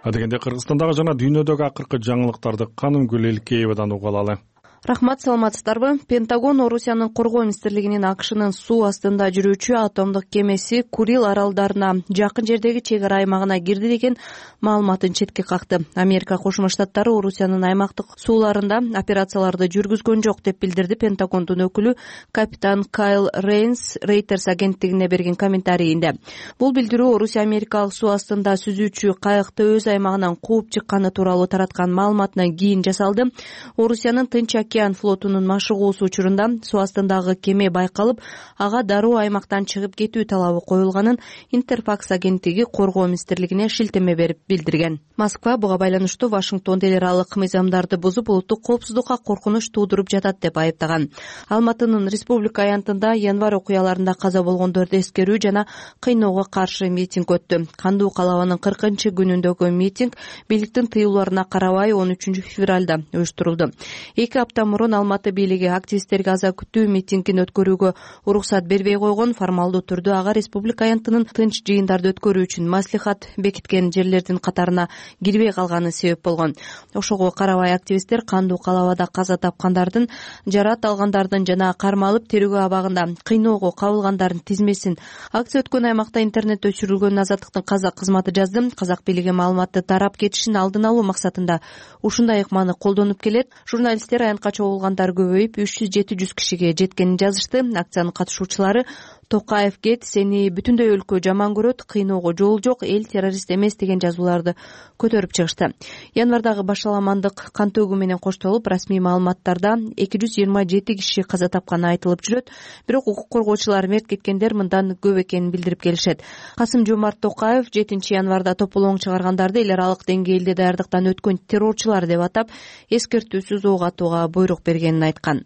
Адегенде Кыргызстандагы жана дүйнөдөгү акыркы жаңылыктарды Канымгүл Элкеевадан угуп алалы. Рахмат, саламатсыздарбы? Пентагон Орусиянын коргоо министрлигинин АКШнын суу астында жүрүүчү атомдук кемеси Курил аралдарына жакын жердеги чек ара аймагына кирди деген маалыматын четке какты. Америка Кошмо Штаттары Орусиянын аймактык сууларында операцияларды жүргүзгөн жок деп билдирди Пентагондун өкүлү капитан Кайл Рейнс Reuters агенттигине берген комментарийинде. Бул билдирүү Орусия америкалык суу астында сүзүүчү кайыкты өз аймагынан кууп чыкканы тууралуу тараткан маалыматынан кийин жасалды. Орусиянын Тынч океан флотунун машыгуусу учурунда суу астындагы кеме байкалып, ага дароо аймактан чыгып кетүү талабы коюлганын Интерфакс агенттиги коргоо министрлигине шилтеме берип билдирген. Москва буга байланыштуу Вашингтон эл аралык мыйзамдарды бузуп, улуттук коопсуздукка коркунуч туудуруп жатат деп айыптаган. Алматынын Республика аянтында январь окуяларында каза болгондорду эскерүү жана кыйноого каршы митинг өттү. Кандуу калабанын 40-күнүндөгү митинг бийликтин тыюуларына карабай 13 февралда уюштурулду. 2 апта мурун Алматы бийлиги активисттерге аза күтүү митингин өткөрүүгө уруксат бербей койгон. Формалдуу түрдө ага республика аянтынын тынч жыйындарды өткөрүү үчүн маслихат бекиткен жерлердин катарына кирбей калганы себеп болгон. Ошого карабай активисттер кандуу калабада каза тапкандардын, жарат алгандардын жана кармалып терүүгө абагында кыйноого кабылгандардын тизмесин. Акция өткөн аймакта интернет өчүрүлгөн. Азаттыктын казак кызматы жазды. Казак бийлиги маалыматты тарап кетишин алдын алуу максатында ушундай ыкманы колдонуп келет. Журналисттер аянтка чогулгандар көбөйүп 300-700 кишиге жеткенин жазышты. Акциянын катышуучулары Токаев кет, сени бүтүндөй өлкө жаман көрөт, кыйноого жол жок, эл террорист эмес деген жазууларды көтөрүп чыгышты. Январдагы башаламандык кан төгүү менен коштолуп, расмий маалыматтарда 227 киши каза тапканы айтылып жүрөт. Бирок укук коргоочулар мерт кеткендер мындан көп экенин билдирип келишет. Касым-Жомарт Токаев 7 январда тополоң чыгаргандарды эл аралык деңгээлде даярдыктан өткөн террорчулар деп атап, эскертүүсүз ок атууга буйрук бергенин айткан.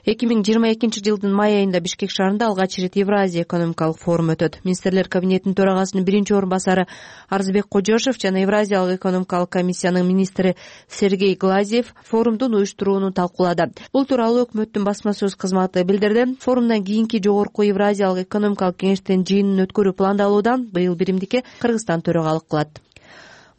2022 жылдын май айында Бишкек шаарында алгач ирет Евразия экономикалык форум өтөт. Министрлер кабинетинин төрагасынын биринчи орун басары Арзбек Кожошев жана Евразиялык экономикалык комиссиянын министри Сергей Глазьев форумдун уюштурууну талкуулады. Бул тууралуу өкмөттүн басма сөз кызматы билдирди. Форумдан кийинки жогорку Евразиялык экономикалык кеңештин жыйынын өткөрүү пландалууда. Быйыл биримдикке Кыргызстан төрагалык кылат.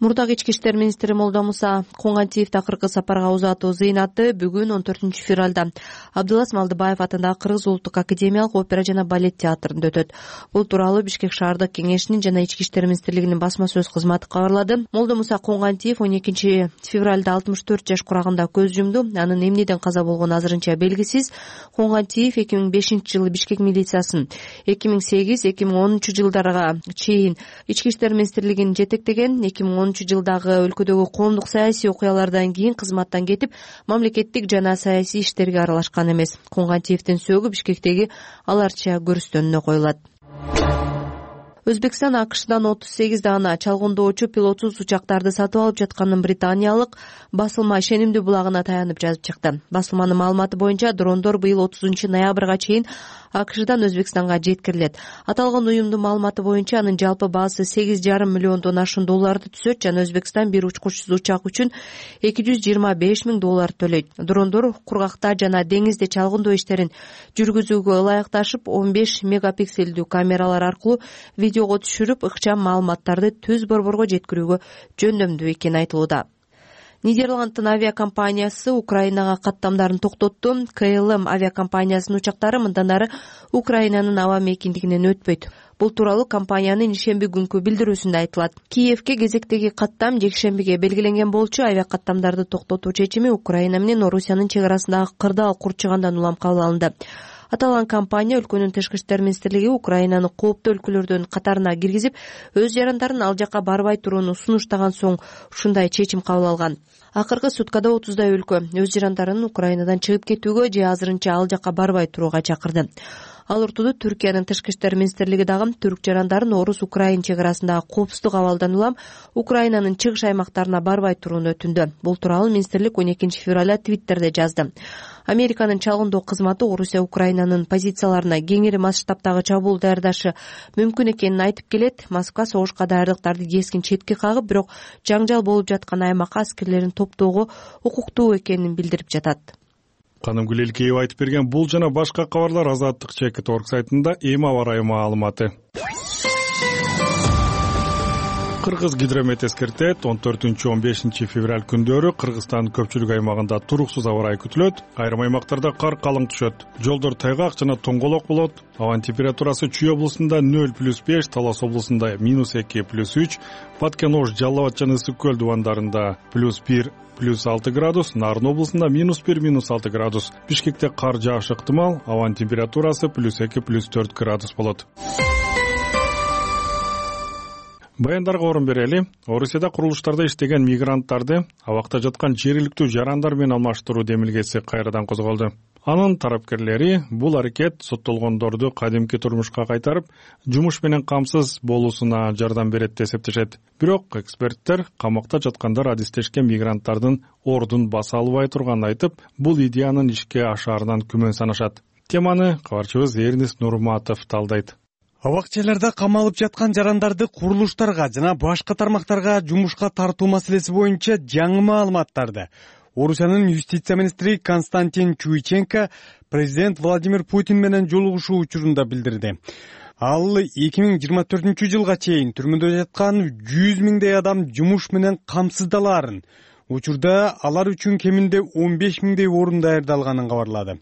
Мурдагы ички иштер министри Молдомуса Коңгантиев акыркы сапарга узатуу зыйнаты бүгүн 14 февралда Абдылас Малдыбаев атындагы Кыргыз улуттук академиялык опера жана балет театрында өтөт. Бул тууралуу Бишкек шаардык кеңешинин жана ички иштер министрлигинин басма сөз кызматы кабарлады. Молдомуса Коңгантиев 12 февралда 64 жаш курагында көз жумду. Анын эмнеден каза болгону азырынча белгисиз. Коңгантиев 2005 жылы Бишкек милициясын, 2008-2010 жылдарга чейин ички иштер министрлигин жетектеген, 2010 2010-жылдагы өлкөдөгү коомдук саясий окуялардан кийин кызматтан кетип, мамлекеттик жана саясий иштерге аралашкан эмес. Кунгантиевдин сөөгү Бишкектеги аларча көрүстөнүнө коюлат. Өзбекстан АКШдан 38 даана чалгындоочу пилотсуз учактарды сатып алып жатканын британиялык басылма ишенимдүү булагына таянып жазып чыкты. Басылманын маалыматы боюнча дрондор быйыл 30-ноябрга чейин АКШдан Өзбекстанга жеткирилет. Аталган уюмдун маалыматы боюнча анын жалпы баасы $8,5 миллиондон ашуун долларды түзөт жана Өзбекстан бир учкучсуз учак үчүн $225,000 төлөйт. Дрондор кургакта жана деңизде чалгындоо иштерин жүргүзүүгө ылайыкташып, 15 мегапикселдүү камералар аркылуу видеого түшүрүп, ыкчам маалыматтарды түз борборго жеткирүүгө жөндөмдүү экени айтылууда. Нидерланддын авиакомпаниясы Украинага каттамдарын токтотту. КЛМ авиакомпаниясынын учактары мындан ары Украинанын аба мейкиндигинен өтпөйт. Бул тууралуу компаниянын ишемби күнкү билдирүүсүндө айтылат. Киевке кезектеги каттам жекшембиге белгиленген болчу. Авиакаттамдарды токтотуу чечими Украина менен Орусиянын чек арасындагы кырдаал курчугандан улам кабыл алынды. Аталган компания өлкөнүн тышкы иштер министрлиги Украинаны кооптуу өлкөлөрдүн катарына киргизип, өз жарандарын ал жакка барбай турууну сунуштаган соң ушундай чечим кабыл алган. Акыркы суткада 30дай өлкө өз жарандарын Украинадан чыгып кетүүгө же азырынча ал жакка барбай турууга чакырды. Ал ортодо Түркиянын тышкы иштер министрлиги дагы түрк жарандарын орус-украин чек арасындагы коопсуздук абалдан улам Украинанын чыгыш аймактарына барбай турууну өтүндү. Бул тууралуу министрлик 12 февралда Твиттерде жазды. Американын чалгындоо кызматы Орусия Украинанын позицияларына кеңири масштабтагы чабуул даярдашы мүмкүн экенин айтып келет. Москва согушка даярдыктарды кескин четке кагып, бирок жаңжал болуп жаткан аймакка аскерлерин топтоого укуктуу экенин билдирип жатат. Канымгүл Элкеева айтып берген бул жана башка кабарлар Азаттык Чекит.org сайтында эми аба ырайы маалыматы. Кыргыз гидромет эскертет, 14-15 февраль күндөрү Кыргызстандын көпчүлүк аймагында туруксуз аба ырайы күтүлөт. Айрым аймактарда кар калың түшөт. Жолдор тайгак жана тоңголок болот. Абанын температурасы Чүй облусунда 0+5, Талас облусунда -2+3, Баткен-Ош, Жалал Абад жана Ысык көл дубандарында +1, +6 градус, Нарын облусунда -1, -6 градус. Бишкекте кар жаашы ыктымал, абанын температурасы +2, +4 градус болот. Баяндарга орун берели. Орусияда курулуштарда иштеген мигранттарды абакта жаткан жергиликтүү жарандар менен алмаштыруу демилгеси кайрадан козголду. Анын тарапкерлери бул аракет соттолгондорду кадимки турмушка кайтарып, жумуш менен камсыз болуусуна жардам берет деп эсептешет. Бирок эксперттер камакта жаткандар адистешкен мигранттардын ордун баса албай турганын айтып, бул идеянын ишке ашаарынан күмөн санашат. Теманы кабарчыбыз Эрнис Нурматов талдайт. Абакчаларда камалып жаткан жарандарды курулуштарга жана башка тармактарга жумушка тартуу маселеси боюнча жаңы маалыматтарды Орусиянын юстиция министри Константин Чуйченко президент Владимир Путин менен жолугушуу учурунда билдирди. Ал 2024-жылга чейин түрмөдө жаткан 100 миңдей адам жумуш менен камсыздалаарын, учурда алар үчүн кеминде 15 миңдей орун даярдалганын кабарлады.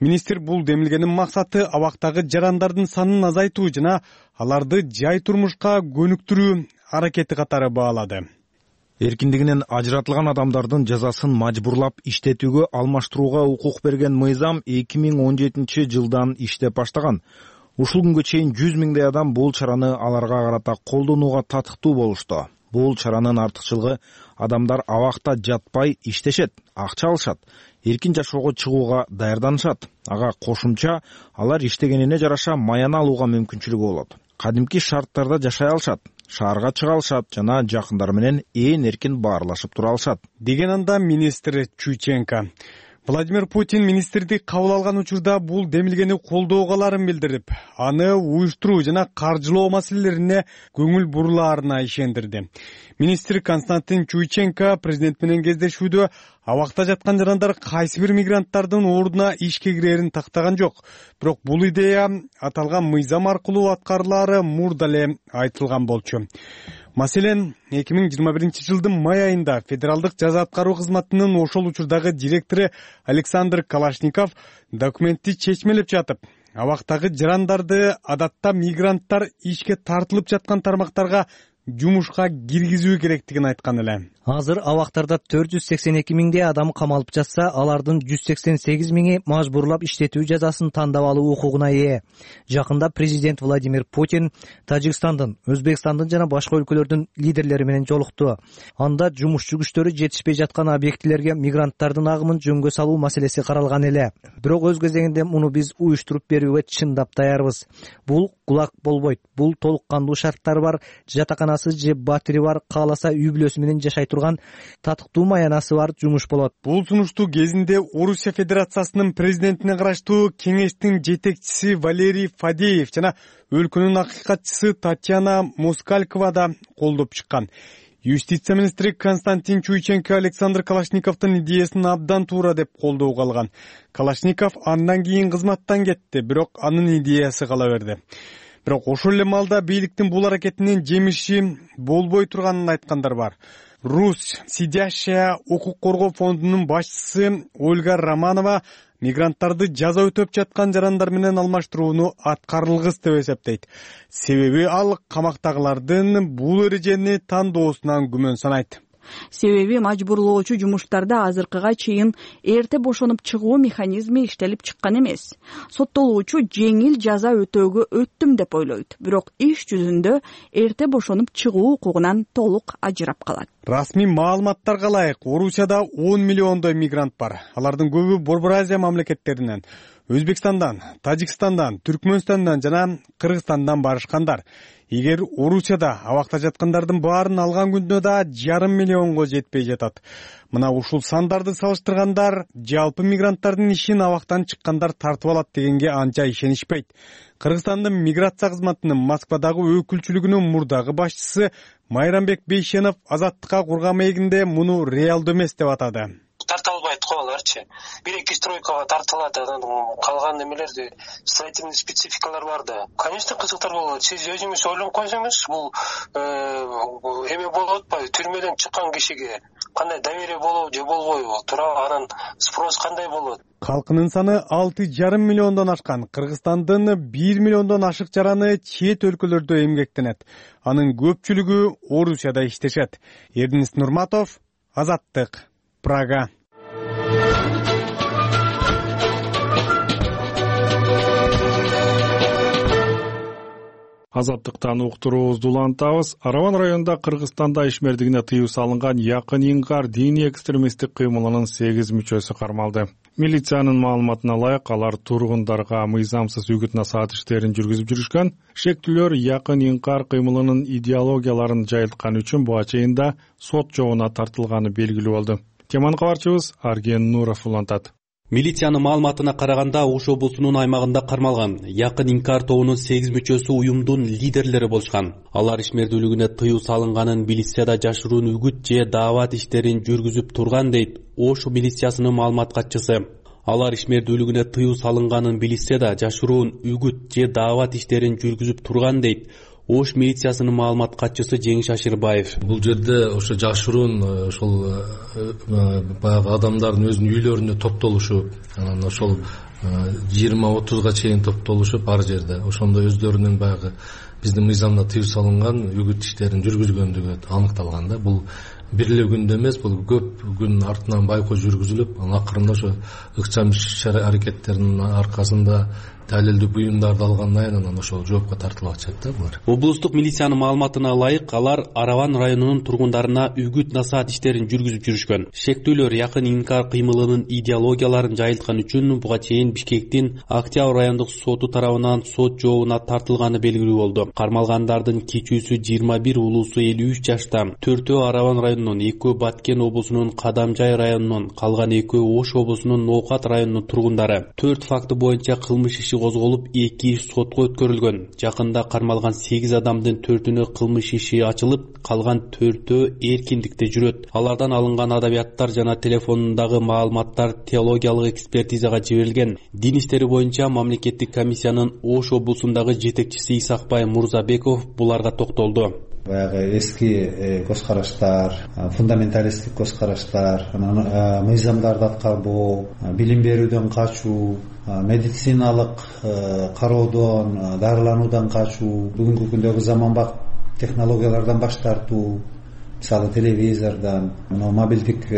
Министр бул демилгенин максаты абактагы жарандардын санын азайтуу жана аларды жай турмушка көнүктүрүү аракети катары баалады. Эркиндигинен ажыратылган адамдардын жазасын мажбурлап иштетүүгө алмаштырууга укук берген мыйзам 2017 жылдан иштеп баштаган. Ушул күнгө чейин 100 миңдей адам бул чараны аларга карата колдонууга татыктуу болушту. Бул чаранын артыкчылыгы адамдар абакта жатпай иштешет, акча алышат, эркин жашоого чыгууга даярданышат. Ага кошумча алар иштегенине жараша маян алууга мүмкүнчүлүгү болот. Кадимки шарттарда жашай алышат, шаарга чыга алышат жана жакындары менен ээн эркин баарлашып тура алышат, деген анда министр Чуйченко. Владимир Путин министрди кабыл алган учурда бул демилгени колдоого аларын билдирип, аны уюштуруу жана каржылоо маселелерине көңүл бурулаарына ишендирди. Министр Константин Чуйченко президент менен кездешүүдө абакта жаткан жарандар кайсы бир мигранттардын ордуна ишке кирерин тактаган жок. Бирок бул идея аталган мыйзам аркылуу аткарылаары мурда эле айтылган болчу. Маселен, 2021 жылдын май айында Федералдык жаза аткаруу кызматынын ошол учурдагы директору Александр Калашников документти чечмелеп жатып, абактагы жарандарды адатта мигранттар ишке тартылып жаткан тармактарга жумушка киргизүү керектигин айткан эле. Азыр абактарда 482 миңдей адам камалып жатса, алардын 188 миңи мажбурлап иштетүү жазасын тандап алуу укугуна ээ. Жакында президент Владимир Путин Тажикстандын, Өзбекстандын жана башка өлкөлөрдүн лидерлери менен жолукту. Анда жумушчу күчтөрү жетишпей жаткан объектилерге мигранттардын агымын жөнгө салуу маселеси каралган эле. Бирок өз кезегинде муну биз уюштуруп берүүгө чындап даярбыз. Бул кулак болбойт. Бул толук кандуу шарттары бар, жатаканасы же батири бар, кааласа үй бүлөсү менен жашай турган, татыктуу маянасы бар жумуш болот. Бул сунушту кезинде Орусия Федерациясынын президентине караштуу кеңештин жетекчиси Валерий Фадеев жана өлкөнүн акыйкатчысы Татьяна Москалькова да колдоп чыккан. Юстиция министри Константин Чуйченко Александр Калашниковдун идеясын абдан туура деп колдоого алган. Калашников андан кийин кызматтан кетти, бирок анын идеясы кала берди. Бирок ошол эле маалда бийликтин бул аракетинин жемиши болбой турганын айткандар бар. Русь сидящая укук коргоо фондунун башчысы Ольга Романова мигранттарды жаза өтөп жаткан жарандар менен алмаштырууну аткарылгыс деп эсептейт. Себеби ал камактагылардын бул эрежени тандоосунан күмөн санайт. Себеби мажбурлоочу жумуштарда азыркыга чейин эрте бошонуп чыгуу механизми иштелип чыккан эмес. Соттолуучу жеңил жаза өтөөгө өттүм деп ойлойт, бирок иш жүзүндө эрте бошонуп чыгуу укугунан толук ажырап калат. Расмий маалыматтарга ылайык, Орусияда 10 миллиондой мигрант бар. Алардын көбү Борбор Азия мамлекеттеринен, Өзбекстандан, Тажикстандан, Түркмөнстандан жана Кыргызстандан барышкандар. Эгер Орусияда абакта жаткандардын баарын алган күндө да 1,5 миллионго жетпей жатат. Мына ушул сандарды салыштыргандар жалпы мигранттардын ишин абактан чыккандар тартып алат дегенге анча ишенишпейт. Кыргызстандын миграция кызматынын Москвадагы өкүлчүлүгүнүн мурдагы башчысы Майрамбек Бейшенов Азаттыкка курган маегинде муну реалдуу эмес деп атады. Тарта албайт го аларчы. 1-2 стройкага тартылат, анан калган немелерди строительный спецификалар бар да. Конечно, кызыктар болот. Сиз өзүңүз ойлонуп койсоңуз, бул эме болуп атпайбы? Түрмөдөн чыккан кишиге кандай доверие болобу же болбойбу? Тура анан спрос кандай болот? Калкынын саны 6,5 миллиондон ашкан. Кыргызстандын 1 миллиондон ашык жараны чет өлкөлөрдө эмгектенет. Анын көпчүлүгү Орусияда иштешет. Эрдинис Нурматов, Азаттык, Прага. Азаттыктан уктуруубузду улантабыз. Араван районунда Кыргызстанда ишмердигине тыюу салынган Якын Инкар диний экстремисттик кыймылынын 8 мүчөсү кармалды. Милициянын маалыматына ылайык, алар тургундарга мыйзамсыз үгүт-насаат иштерин жүргүзүп жүрүшкөн. Шектүүлөр Якын Инкар кыймылынын идеологияларын жайылткан үчүн буга чейин да сот жообуна тартылганы белгилүү болду. Теманы кабарчыбыз Арген Нуров улантат. Милициянын маалыматына караганда, Ош облусунун аймагында кармалган Якын Инкар тобунун 8 мүчөсү уюмдун лидерлери болушкан. Алар ишмердүүлүгүнө тыюу салынганын милицияда жашыруун үгүт же даават иштерин жүргүзүп турган дейт Ош милициясынын маалымат катчысы. Алар ишмердүүлүгүнө тыюу салынганын милицияда жашыруун үгүт же даават иштерин жүргүзүп турган дейт Ош милициясынын маалымат катчысы Жеңиш Ашырбаев. Бул жерде ошо жашыруун ошол баягы адамдардын өзүнүн үйлөрүнө топтолушуп, анан ошол 20-30га чейин топтолушуп ар жерде ошондо өздөрүнүн баягы биздин мыйзамда тыюу салынган үгүт иштерин жүргүзгөндүгү аныкталган да. Бул бир эле күндө эмес, бул көп күн артынан байкоо жүргүзүлүп, анан акырында ошо ыкчам иш-аракеттердин аркасында далилдүү буюмдарды алгандан кийин анан ошол жоопко тартылып атышат да булар. Облустук милициянын маалыматына ылайык, алар Араван районунун тургундарына үгүт-насаат иштерин жүргүзүп жүрүшкөн. Шектүүлөр Якын Инкар кыймылынын идеологияларын жайылткан үчүн буга чейин Бишкектин Октябрь райондук соту тарабынан сот жообуна тартылганы белгилүү болду. Кармалгандардын кичүүсү 21, улуусу 53 жашта. 4-өө Араван районунун, 2-өө Баткен облусунун Кадамжай районунун, калган 2-өө Ош облусунун Ноокат районунун тургундары. 4 факты боюнча кылмыш иши козголуп, 2 иш сотко өткөрүлгөн. Жакында кармалган 8 адамдын 4-үнө кылмыш иши ачылып, калган 4-өө эркиндикте жүрөт. Алардан алынган адабияттар жана телефонундагы маалыматтар теологиялык экспертизага жиберилген. Дин иштери боюнча мамлекеттик комиссиянын Ош облусундагы жетекчиси Исакбай Мурзабеков буларга токтолду. Баягы эски көз караштар, фундаменталисттик көз караштар, анан мыйзамдарды аткарбоо, билим берүүдөн качуу, медициналык кароодон, дарылануудан качуу, бүгүнкү күндөгү заманбап технологиялардан баш тартуу, мисалы телевизордон, мобилдик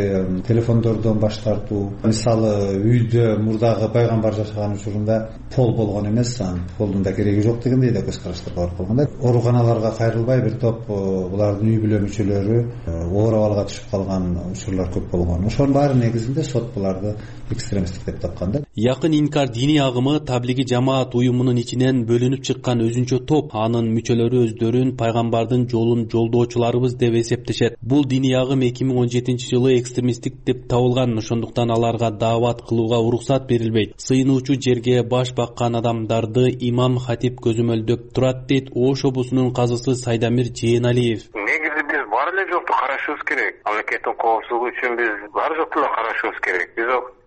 телефондордон баш тартуу. Мисалы үйдө мурдагы пайгамбар жашаган учурунда пол болгон эмес, анын полдун да кереги жок дегендей да көз караштар бар болгондо, ооруканаларга кайрылбай бир топ булардын үй бүлө мүчөлөрү оор абалга түшүп калган учурлар көп болгон. Ошонун баары негизинде сот буларды экстремисттик деп тапкан да. Якын инкар диний агымы таблиги жамаат уюмунун ичинен бөлүнүп чыккан өзүнчө топ. Анын мүчөлөрү өздөрүн пайгамбардын жолун жолдоочуларыбыз деп эсептешет. Бул диний агым 2017-жылы экстремисттик деп табылган, ошондуктан аларга даават кылууга уруксат берилбейт. Сыйынуучу жерге баш баккан адамдарды имам хатип көзөмөлдөп турат, дейт Ош облусунун казысы Сайдамир Жээналиев. Негизи биз бар эле жокту карашыбыз керек. Мамлекеттин коопсуздугу үчүн биз бар жокту эле карашыбыз керек.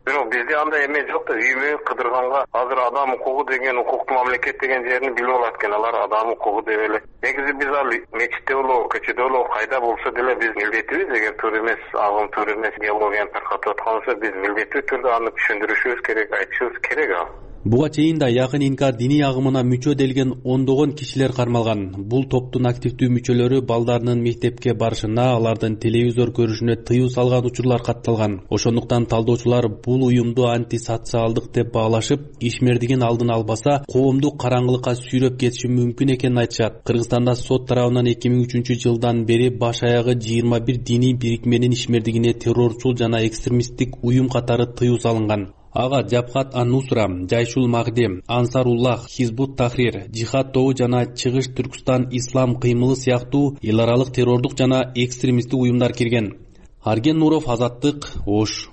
Бирок бизде андай эме жок да, үймө кыдырганга азыр адам укугу деген, укуктуу мамлекет деген жерин билип алат экен. Алар адам укугу деп эле. Негизи биз ал мечитте болобу, көчөдө болобу, кайда болсо деле биз милдетибиз, эгер туура эмес, агым туура эмес идеологияны таркатып аткан болсо, биз милдеттүү түрдө аны түшүндүрүшүбүз керек, айтышыбыз керек ал. Буга чейин да якын инкар диний агымына мүчө делген ондогон кишилер кармалган. Бул топтун активдүү мүчөлөрү балдарынын мектепке барышына, алардын телевизор көрүшүнө тыюу салган учурлар катталган. Ошондуктан талдоочулар бул уюмду антисоциалдык деп баалашып, ишмердигин алдын албаса, коомду караңгылыкка сүйрөп кетиши мүмкүн экенин айтышат. Кыргызстанда сот тарабынан 2003-жылдан бери баш аягы 21 диний бирикменин ишмердигине террорчул жана экстремисттик уюм катары тыюу салынган. Ага Жабхат ан-Нусра, Жайшул Магдем, Ансаруллах, Хизбут Тахрир, Жихад тобу жана Чыгыш Түркстан Ислам кыймылы сыяктуу эл аралык террордук жана экстремисттик уюмдар кирген. Арген Нуров, Азаттык, Ош.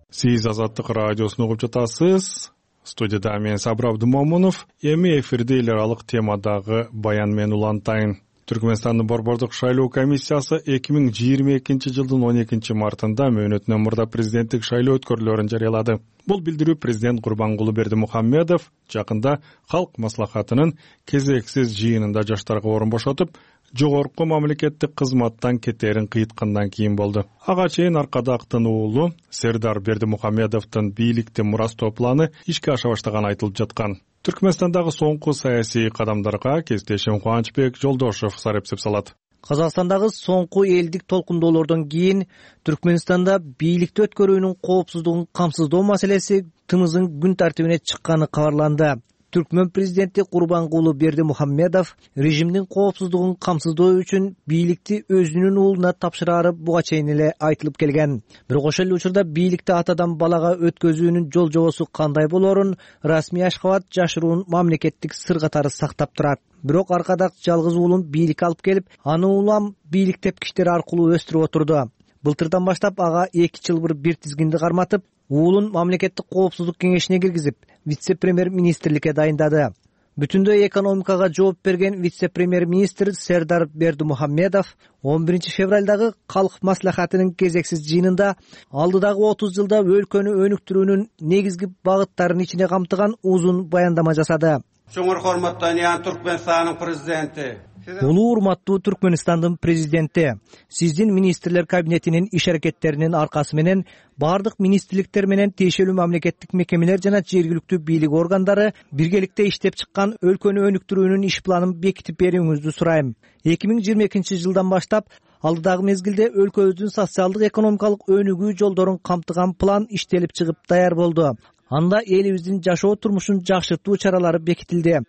Сиз Азаттык радиосун угуп жатасыз. Студияда мен Сабыр Абдымомунов. Эми эфирде эл аралык темадагы баян менен улантайын. Түркмөнстандын борбордук шайлоо комиссиясы 2022-жылдын 12-мартында мөөнөтүнөн мурда президенттик шайлоо өткөрүүлөрүн жарыялады. Бул билдирүү президент Курбангулы Бердимухамедов жакында калк маслахатынын кезексиз жыйынында жаштарга орун бошотуп, жогорку мамлекеттик кызматтан кетерин кыйткандан кийин болду. Ага чейин Аркадактын уулу Сердар Бердимухамедовдун бийликти мурастоо планы ишке аша баштаганы айтылып жаткан. Түркмөнстандагы соңку саясий кадамдарга кесиптешим Кубанычбек Жолдошов сарепсеп салат. Казакстандагы соңку элдик толкундоолордон кийин Түркмөнстанда бийликти өткөрүүнүн коопсуздугун камсыздоо маселеси тымыздын күн тартибине чыкканы кабарланды. Түркмөн президенти Курбангулы Бердимухамедов режимдин коопсуздугун камсыздоо үчүн бийликти өзүнүн уулуна тапшырары буга чейин эле айтылып келген. Бирок ошол эле учурда бийликти атадан балага өткөзүүнүн жол жобосу кандай болорун расмий Ашхабад жашыруун мамлекеттик сыр катары сактап турат. Бирок Аркадак жалгыз уулун бийликке алып келип, аны улам бийлик тепкичтери аркылуу өстүрүп отурду. Былтырдан баштап ага 2 жылбыр бир тизгинди карматып, уулун мамлекеттик коопсуздук кеңешине киргизип, вице-премьер-министрликке дайындады. Бүтүндөй экономикага жооп берген вице-премьер-министр Сердар Бердимухамедов 11 февралдагы калк маслахатынын кезексиз жыйынында алдыдагы 30 жылда өлкөнү өнүктүрүүнүн негизги багыттарын ичине камтыган узун баяндама жасады. Чоңур урматтуу Түркмөнстандын президенти. Улуу урматтуу Түркмөнстандын президенти, сиздин министрлер кабинетинин иш аракеттеринин аркасы менен бардык министрликтер менен тиешелүү мамлекеттик мекемелер жана жергиликтүү бийлик органдары биргеликте иштеп чыккан өлкөнү өнүктүрүүнүн иш планын бекитип берүүңүздү сурайм. 2022-жылдан баштап алдыдагы мезгилде өлкөбүздүн социалдык экономикалык өнүгүү жолдорун камтыган план иштелип чыгып даяр болду. Анда элибиздин жашоо турмушун жакшыртуу чаралары бекитилди.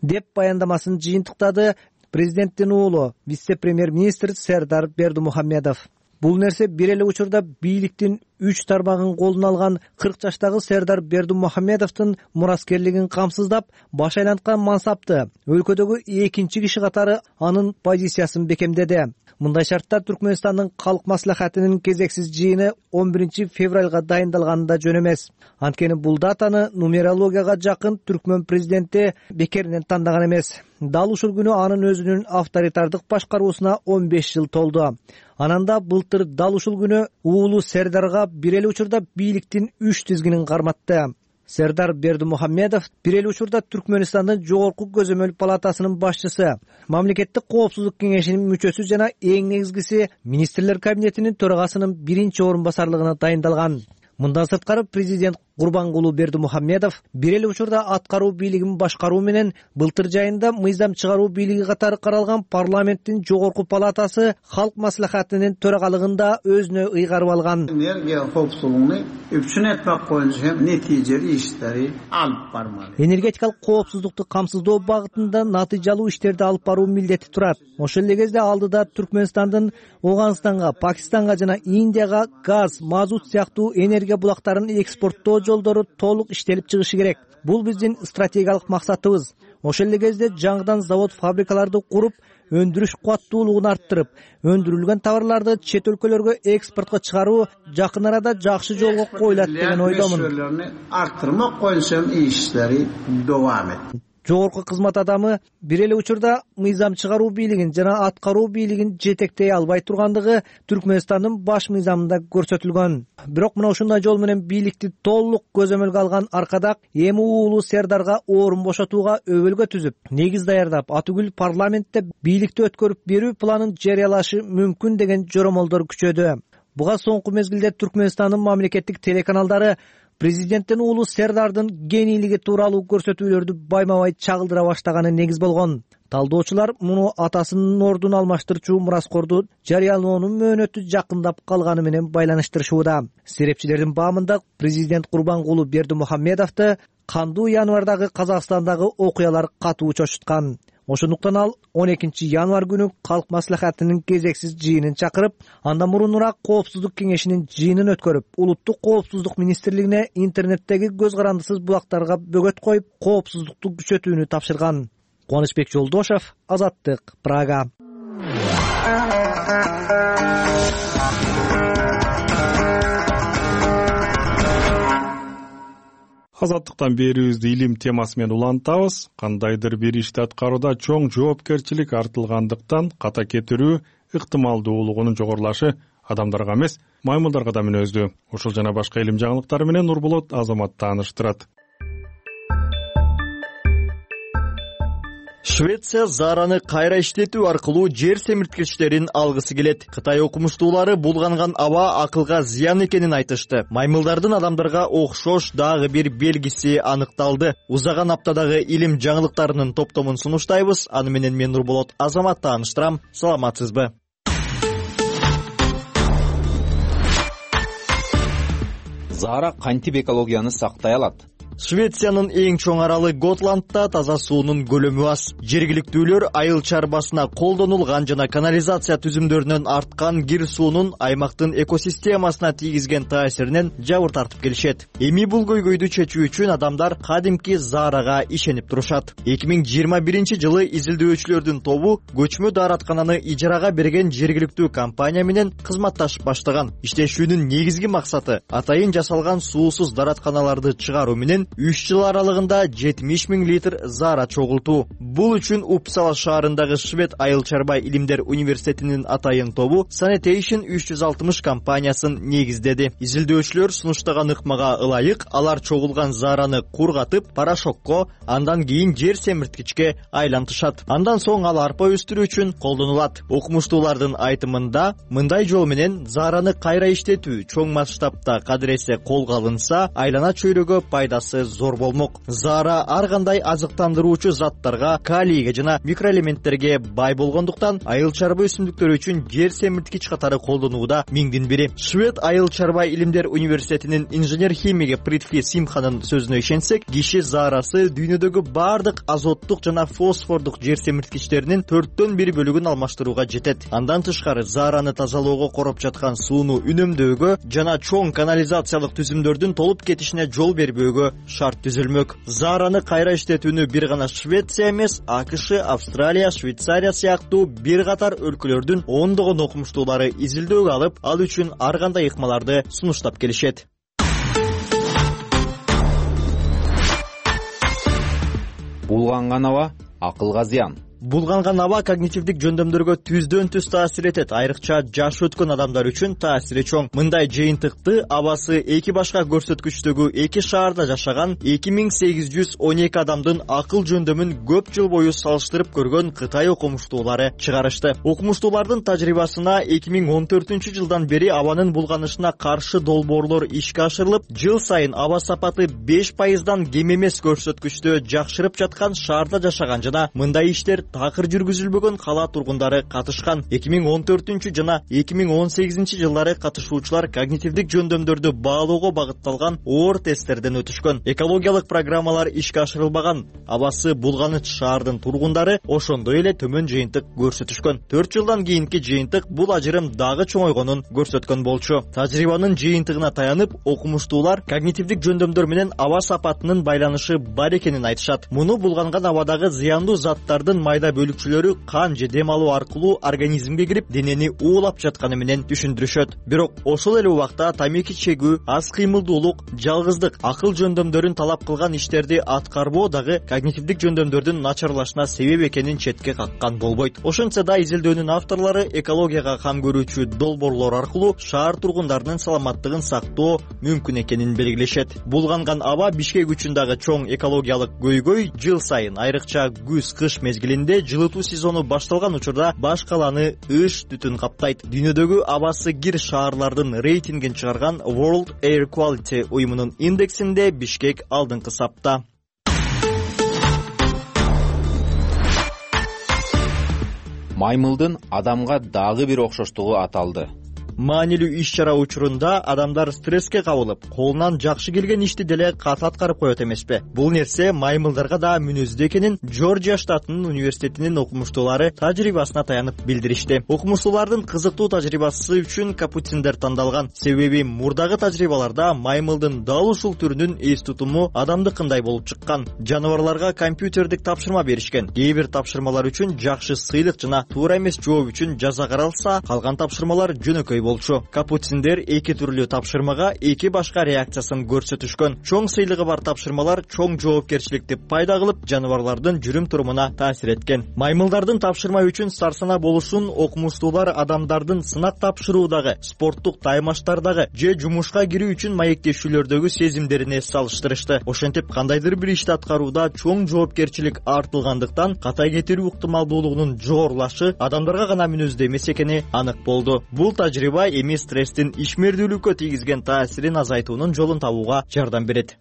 Деп баяндамасын жыйынтыктады президенттин уулу, вице-премьер-министр Сердар Бердимухамедов. Бул нерсе бир эле учурда бийликтин 3 тармагын колуна алган 40 жаштагы Сердар Бердимухамедовдун мураскерлигин камсыздап, баш айланткан мансапты өлкөдөгү экинчи киши катары анын позициясын бекемдеди. Мындай шарттар Түркмөнстандын калк маслахатынын кезексиз жыйыны 11 февралга дайындалганы да жөн эмес. Анткени бул датаны нумерологияга жакын Түркмөн президенти бекеринен тандаган эмес. Дал ушул күнү анын өзүнүн авторитардык башкаруусуна 15 жыл толду. Ананда былтыр дал ушул күнү уулу Сердарга бир эле учурда бийликтин 3 тизгинин карматты. Сердар Бердимухамедов бир эле учурда Түркмөнстандын жогорку көзөмөл палатасынын башчысы, мамлекеттик коопсуздук кеңешинин мүчөсү жана эң негизгиси министрлер кабинетинин төрагасынын биринчи орун басарлыгына дайындалган. Мындан сырткары президент Курбангулу Бердимухамедов бир эле учурда аткаруу бийлигин башкаруу менен былтыр жайында мыйзам чыгаруу бийлиги катары каралган парламенттин жогорку палатасы Халк маслихатынын төрагалыгында өзүнө ыйгарып алган. Энергия коопсуздугун үчүн этпек боюнча натыйжалуу иштери алып бармак. Энергетикалык коопсуздукту камсыздоо багытында натыйжалуу иштерди алып баруу милдети турат. Ошол эле кезде алдыда Түркмөнстандын Ооганстанга, Пакистанга жана Индияга газ, мазут сыяктуу энергия булактарын экспорттоо жолдору толук иштелип чыгышы керек. Бул биздин стратегиялык максатыбыз. Ошол эле кезде жаңыдан завод, фабрикаларды куруп, өндүрүш кубаттуулугун арттырып, өндүрүлгөн товарларды чет өлкөлөргө экспортко чыгаруу жакын арада жакшы жолго коюлат деген ойдомун. Арттырмак боюнча иштери дowam etти. Жогорку кызмат адамы бир эле учурда мыйзам чыгаруу бийлигин жана аткаруу бийлигин жетектей албай тургандыгы Түркмөнстандын баш мыйзамында көрсөтүлгөн. Бирок мына ушундай жол менен бийликти толук көзөмөлгө алган Аркадак эми уулу Сердарга орун бошотууга өбөлгө түзүп, негиз даярдап, атүгүл парламентте бийликти өткөрүп берүү планын жарыялашы мүмкүн деген жоромолдор күчөдү. Буга соңку мезгилде Түркмөнстандын мамлекеттик телеканалдары президенттин уулу Сердардын генийлиги тууралуу көрсөтүүлөрдү байма-бай чагылдыра баштаганы негиз болгон. Талдоочулар муну атасынын ордун алмаштырчу мураскорду жарыялоонун мөөнөтү жакындап калганы менен байланыштырышууда. Серепчилердин баамында президент Курбангулу Бердимухамедовду кандуу январдагы Казакстандагы окуялар катуу чочуткан. Ошондуктан ал 12 январь күнү Калк маслихатынын кезексиз жыйынын чакырып, андан мурунураак коопсуздук кеңешинин жыйынын өткөрүп, улуттук коопсуздук министрлигине интернеттеги көз карандысыз булактарга бөгөт коюп, коопсуздукту күчөтүүнү тапшырган. Кубанычбек Жолдошев, Азаттык, Прага. Азаттыктан берүүбүздү илим темасы менен улантабыз. Кандайдыр бир ишти аткарууда чоң жоопкерчилик артылгандыктан ката кетирүү ыктымалдуулугунун жогорулашы адамдарга эмес, маймылдарга да мүнөздүү. Ушул жана башка илим жаңылыктары менен Нурболот Азамат тааныштырат. Швеция Зараны кайра иштетүү аркылуу жер семирткичтерин алгысы келет. Кытай окумуштуулары булганган аба акылга зыян экенин айтышты. Маймылдардын адамдарга окшош дагы бир белгиси аныкталды. Узаган аптадагы илим жаңылыктарынын топтомун сунуштайбыз. Аны менен мен Нурболот Азамат тааныштырам. Саламатсызбы? Зара кантип экологияны сактай алат? Швециянын эң чоң аралы Готландда таза суунун көлөмү аз. Жергиликтүүлөр айыл чарбасына колдонулган жана канализация түзүмдөрүнөн арткан кир суунун аймактын экосистемасына тийгизген таасиринен жабыр тартып келишет. Эми бул көйгөйдү чечүү үчүн адамдар кадимки Зарага ишенип турушат. 2021-жылы изилдөөчүлөрдүн тобу көчмө даараткананы ижарага берген жергиликтүү компания менен кызматташып баштаган. Иштешүүнүн негизги максаты атайын жасалган суусуз дааратканаларды чыгаруу менен 3 жыл аралыгында 70 000 литр Зара чогултуу. Бул үчүн Упсала шаарындагы Швед айыл чарба илимдер университетинин атайын тобу Sanitation 360 компаниясын негиздеди. Изилдөөчүлөр сунуштаган ыкмага ылайык алар чогулган Зараны кургатып, порошокко, андан кийин жер семирткичке айлантышат. Андан соң ал арпа өстүрүү үчүн колдонулат. Окумуштуулардын айтымында мындай жол менен Зараны кайра иштетүү чоң масштабта кадыресе колго алынса, айлана чөйрөгө пайдасы зор болмок. Зара ар кандай азыктандыруучу заттарга, калийге жана микроэлементтерге бай болгондуктан айыл чарба өсүмдүктөрү үчүн жер семирткич катары колдонууда миңдин бири. Швед айыл чарба илимдер университетинин инженер-химиги Притфи Симханын сөзүнө ишенсек, киши Зарасы дүйнөдөгү бардык азоттук жана фосфордук жер семирткичтеринин 1/4 бөлүгүн алмаштырууга жетет. Андан тышкары Зараны тазалоого короп жаткан сууну үнөмдөөгө жана чоң канализациялык түзүмдөрдүн толуп кетишине жол бербөөгө шарт түзүлмөк. Зараны кайра иштетүүнү бир гана Швеция эмес, АКШ, Австралия, Швейцария сыяктуу бир катар өлкөлөрдүн ондогон окумуштуулары изилдөөгө алып, ал үчүн ар кандай ыкмаларды сунуштап келишет. Булганган аба акылга зыян. Булганган аба когнитивдик жөндөмдөргө түздөн түз таасир этет, айрыкча жашы өткөн адамдар үчүн таасири чоң. Мындай жыйынтыкты абасы эки башка көрсөткүчтөгү эки шаарда жашаган 2812 адамдын акыл жөндөмүн көп жыл бою салыштырып көргөн Кытай окумуштуулары чыгарышты. Окумуштуулардын тажрыйбасына 2014-жылдан бери абанын булганышына каршы долбоорлор ишке ашырылып, жыл сайын аба сапаты 5%дан кем эмес көрсөткүчтө жакшырып жаткан шаарда жашаган жана мындай иштер такыр жүргүзүлбөгөн кала тургундары катышкан. 2014 жана 2018 жылдары катышуучулар когнитивдик жөндөмдөрдү баалоого багытталган оор тесттерден өтүшкөн. Экологиялык программалар ишке ашырылбаган абасы булганыч шаардын тургундары ошондой эле төмөн жыйынтык көрсөтүшкөн. 4 жылдан кийинки жыйынтык бул ажырым дагы чоңойгонун көрсөткөн болчу. Тажрыйбанын жыйынтыгына таянып, окумуштуулар когнитивдик жөндөмдөр менен аба сапатынын байланышы бар экенин айтышат. Муну булганган абадагы зыяндуу заттардын майда бөлүкчөлөрү кан же дем алуу аркылуу организмге кирип, денени уулап жатканы менен түшүндүрүшөт. Бирок ошол эле убакта тамеки чегүү, аз кыймылдуулук, жалгыздык, акыл жөндөмдөрүн талап кылган иштерди аткарбоо дагы когнитивдик жөндөмдөрдүн начарлашына себеп экенин четке каккан болбойт. Ошентсе да изилдөөнүн авторлору экологияга кам көрүүчү долбоорлор аркылуу шаар тургундарынын саламаттыгын сактоо мүмкүн экенин белгилешет. Булганган аба Бишкек үчүн дагы чоң экологиялык көйгөй. Жыл сайын, айрыкча күз-кыш мезгилинде жылытуу сезону башталган учурда баш каланы ыш түтүн каптайт. Дүйнөдөгү абасы кир шаарлардын рейтингин чыгарган World Air Quality уюмунун индексинде Бишкек алдыңкы сапта. Маймылдын адамга дагы бир окшоштугу аталды. Маанилүү иш-чара учурунда адамдар стресске кабылып, колунан жакшы келген ишти деле кат аткарып коет эмеспи? Бул нерсе маймылдарга да мүнөздүү экенин Жоржия штатынын университетинин окумуштуулары тажрыйбасына таянып билдиришти. Окумуштуулардын кызыктуу тажрыйбасы үчүн капуциндер тандалган. Себеби мурдагы тажрыйбаларда маймылдын дал ушул түрүнүн эс тутуму адамдыкындай болуп чыккан. Жаныбарларга компьютердик тапшырма беришкен. Кээ бир тапшырмалар үчүн жакшы сыйлык жана туура эмес жооп үчүн жаза каралса, калган тапшырмалар жөнөкөй болчу. Капуциндер эки түрлүү тапшырмага эки башка реакциясын көрсөтүшкөн. Чоң сыйлыгы бар тапшырмалар чоң жоопкерчиликти пайда кылып, жаныбарлардын жүрүм-турумуна таасир эткен. Маймылдардын тапшырма үчүн сарсана болушун окумуштуулар адамдардын сынак тапшыруудагы, спорттук таймаштардагы же жумушка кирүү үчүн маектешүүлөрдөгү сезимдерине салыштырышты. Ошентип, кандайдыр бир ишти аткарууда чоң жоопкерчилик артылгандыктан катай кетирүү ыктымалдуулугунун жогорулашы адамдарга гана мүнөздүү эмес экени анык болду. Бул тажрыйба эми стресстин ишмердүүлүккө тийгизген таасирин азайтуунун жолун табууга жардам берет.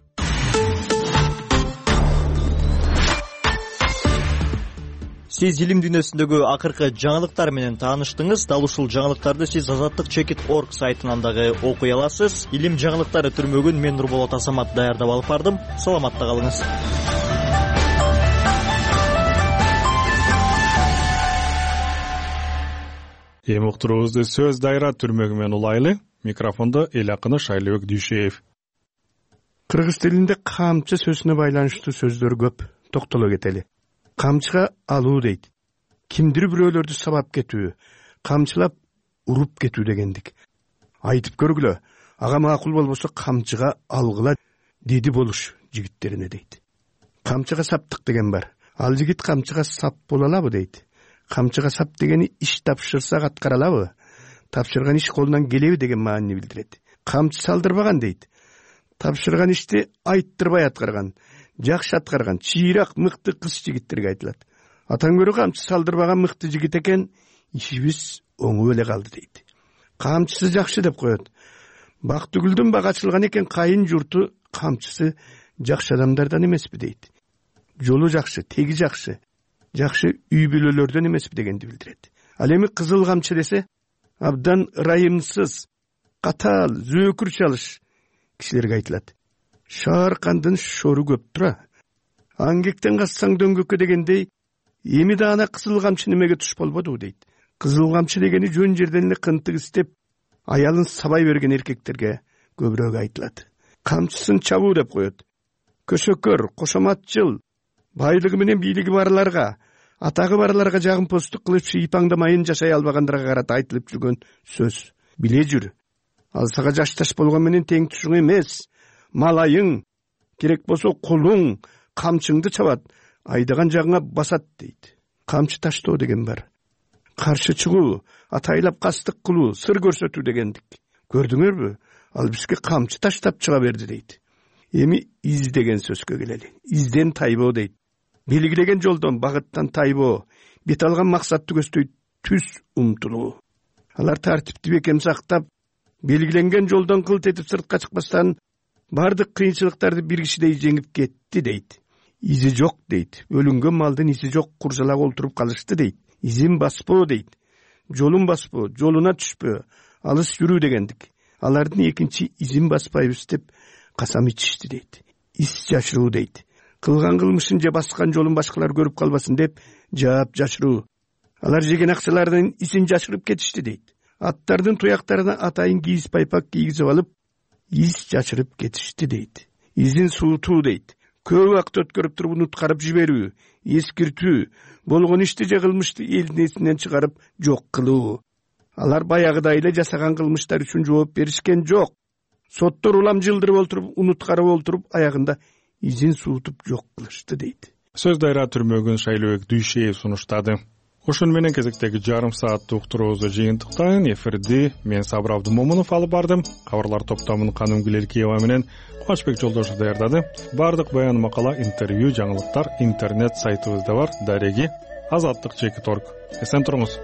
Сиз илим дүйнөсүндөгү акыркы жаңылыктар менен тааныштыңыз. Дал ушул жаңылыктарды сиз azattik.org сайтынан дагы окуй аласыз. Илим жаңылыктары түрмөгүн мен Нурболот Асамат даярдап алып бардым. Саламатта калыңыз. Эми уктуруубузду сөз дайра түрмөгү менен улайлы. Микрофондо эл акыны Шайлыбек Дүйшеев. Кыргыз тилинде камчы сөзүнө байланыштуу сөздөр көп. Токтоло кетели. Камчыга алуу дейт. Кимдир бирөөлөрдү сабап кетүү, камчылап уруп кетүү дегендик. Айтып көргүлө. Ага макул болбосо камчыга алгыла деди болуш жигиттерине дейт. Камчыга саптык деген бар. Ал жигит камчыга сап боло алабы дейт. Камчыга сап дегени иш тапшырсак аткара алабы? Тапшырган иш колунан келеби деген маанини билдирет. Камчы салдырбаган дейт. Тапшырган ишти айттырбай аткарган, жакшы аткарган, чыйрак, мыкты кыз жигиттерге айтылат. Атан көрө камчы салдырбаган мыкты жигит экен, ишибиз оңуп эле калды дейт. Камчысы жакшы деп коет. Бактыгүлдүн бак ачылган экен, кайын журту камчысы жакшы адамдардан эмеспи дейт. Жолу жакшы, теги жакшы, жакшы үй бүлөлөрдөн эмеспи дегенди билдирет. Ал эми кызыл камчы десе, абдан ырайымсыз, катаал, зөөкүр чалыш кишилерге айтылат. Шааркандын шору көп тура. Аңгектен кассаң дөңгөккө дегендей, эми да ана кызыл камчы немеге туш болбоду дейт. Кызыл камчы дегени жөн жерден эле кынтык истеп, аялын сабай берген эркектерге көбүрөөк айтылат. Камчысын чабуу деп коет. Көсөкөр, кошоматчыл, байлыгы менен бийлиги барларга, атагы барларга жагымпоздук кылып шыйпаңдамайын жашай албагандырга карата айтылып жүргөн сөз. Биле жүр. Ал сага жашташ болгон менен тең тушуң эмес. Малайың, керек болсо кулуң камчыңды чабат, айдаган жагыңа басат дейт. камчы таштоо деген бар. Каршы чыгуу, атайлап кастык кылуу, сыр көрсөтүү дегендик. Көрдүңөрбү? Ал бизге камчы таштап чыга берди дейт. Эми из деген сөзгө келели. Изден тайбоо дейт. Белгилеген жолдон, багыттан тайбоо, бет алган максатты көздөй түз умтулуу. Алар тартипти бекем сактап, белгиленген жолдон кылт этип сыртка чыкпастан бардык кыйынчылыктарды бир кишидей жеңип кетти дейт. Изи жок дейт. Өлүнгөн малдын изи жок, куржалак олтуруп калышты дейт. Изин баспоо дейт. Жолун баспоо, жолуна түшпөө, алыс жүрүү дегендик. Алардын экинчи изин баспайбыз деп касам ичишти дейт. Из жашыруу дейт. Кылган кылмышын же баскан жолун башкалар көрүп калбасын деп жаап жашыруу. Алар жеген акчалардын изин жашырып кетишти дейт. Аттардын туяктарына атайын кийиз пайпак кийгизип алып, из жашырып кетишти дейт. Изин суутуу дейт. Көп убакыт өткөрүп туруп унуткарып жиберүү, эскиртүү, болгон ишти же кылмышты элдин эсинен чыгарып жок кылуу. Алар баягыдай эле жасаган кылмыштар үчүн жооп беришкен жок. Соттор улам жылдырып олтуруп, унуткарып олтуруп, аягында изин суутуп жок кылышты дейт. Сөз дайра түрмөгүн Шайлообек Дүйшеев сунуштады. Ошону менен кезектеги жарым сааттык уктуруубузду жыйынтыктайын. Эфирди мен Сабыр Абдымомунов алып бардым. Кабарлар топтомун Каным Гилеркиева менен Кубанычбек Жолдошев даярдады. Бардык баян, макала, интервью, жаңылыктар интернет сайтыбызда бар. Дареги Азаттык.org. Эсен туруңуз.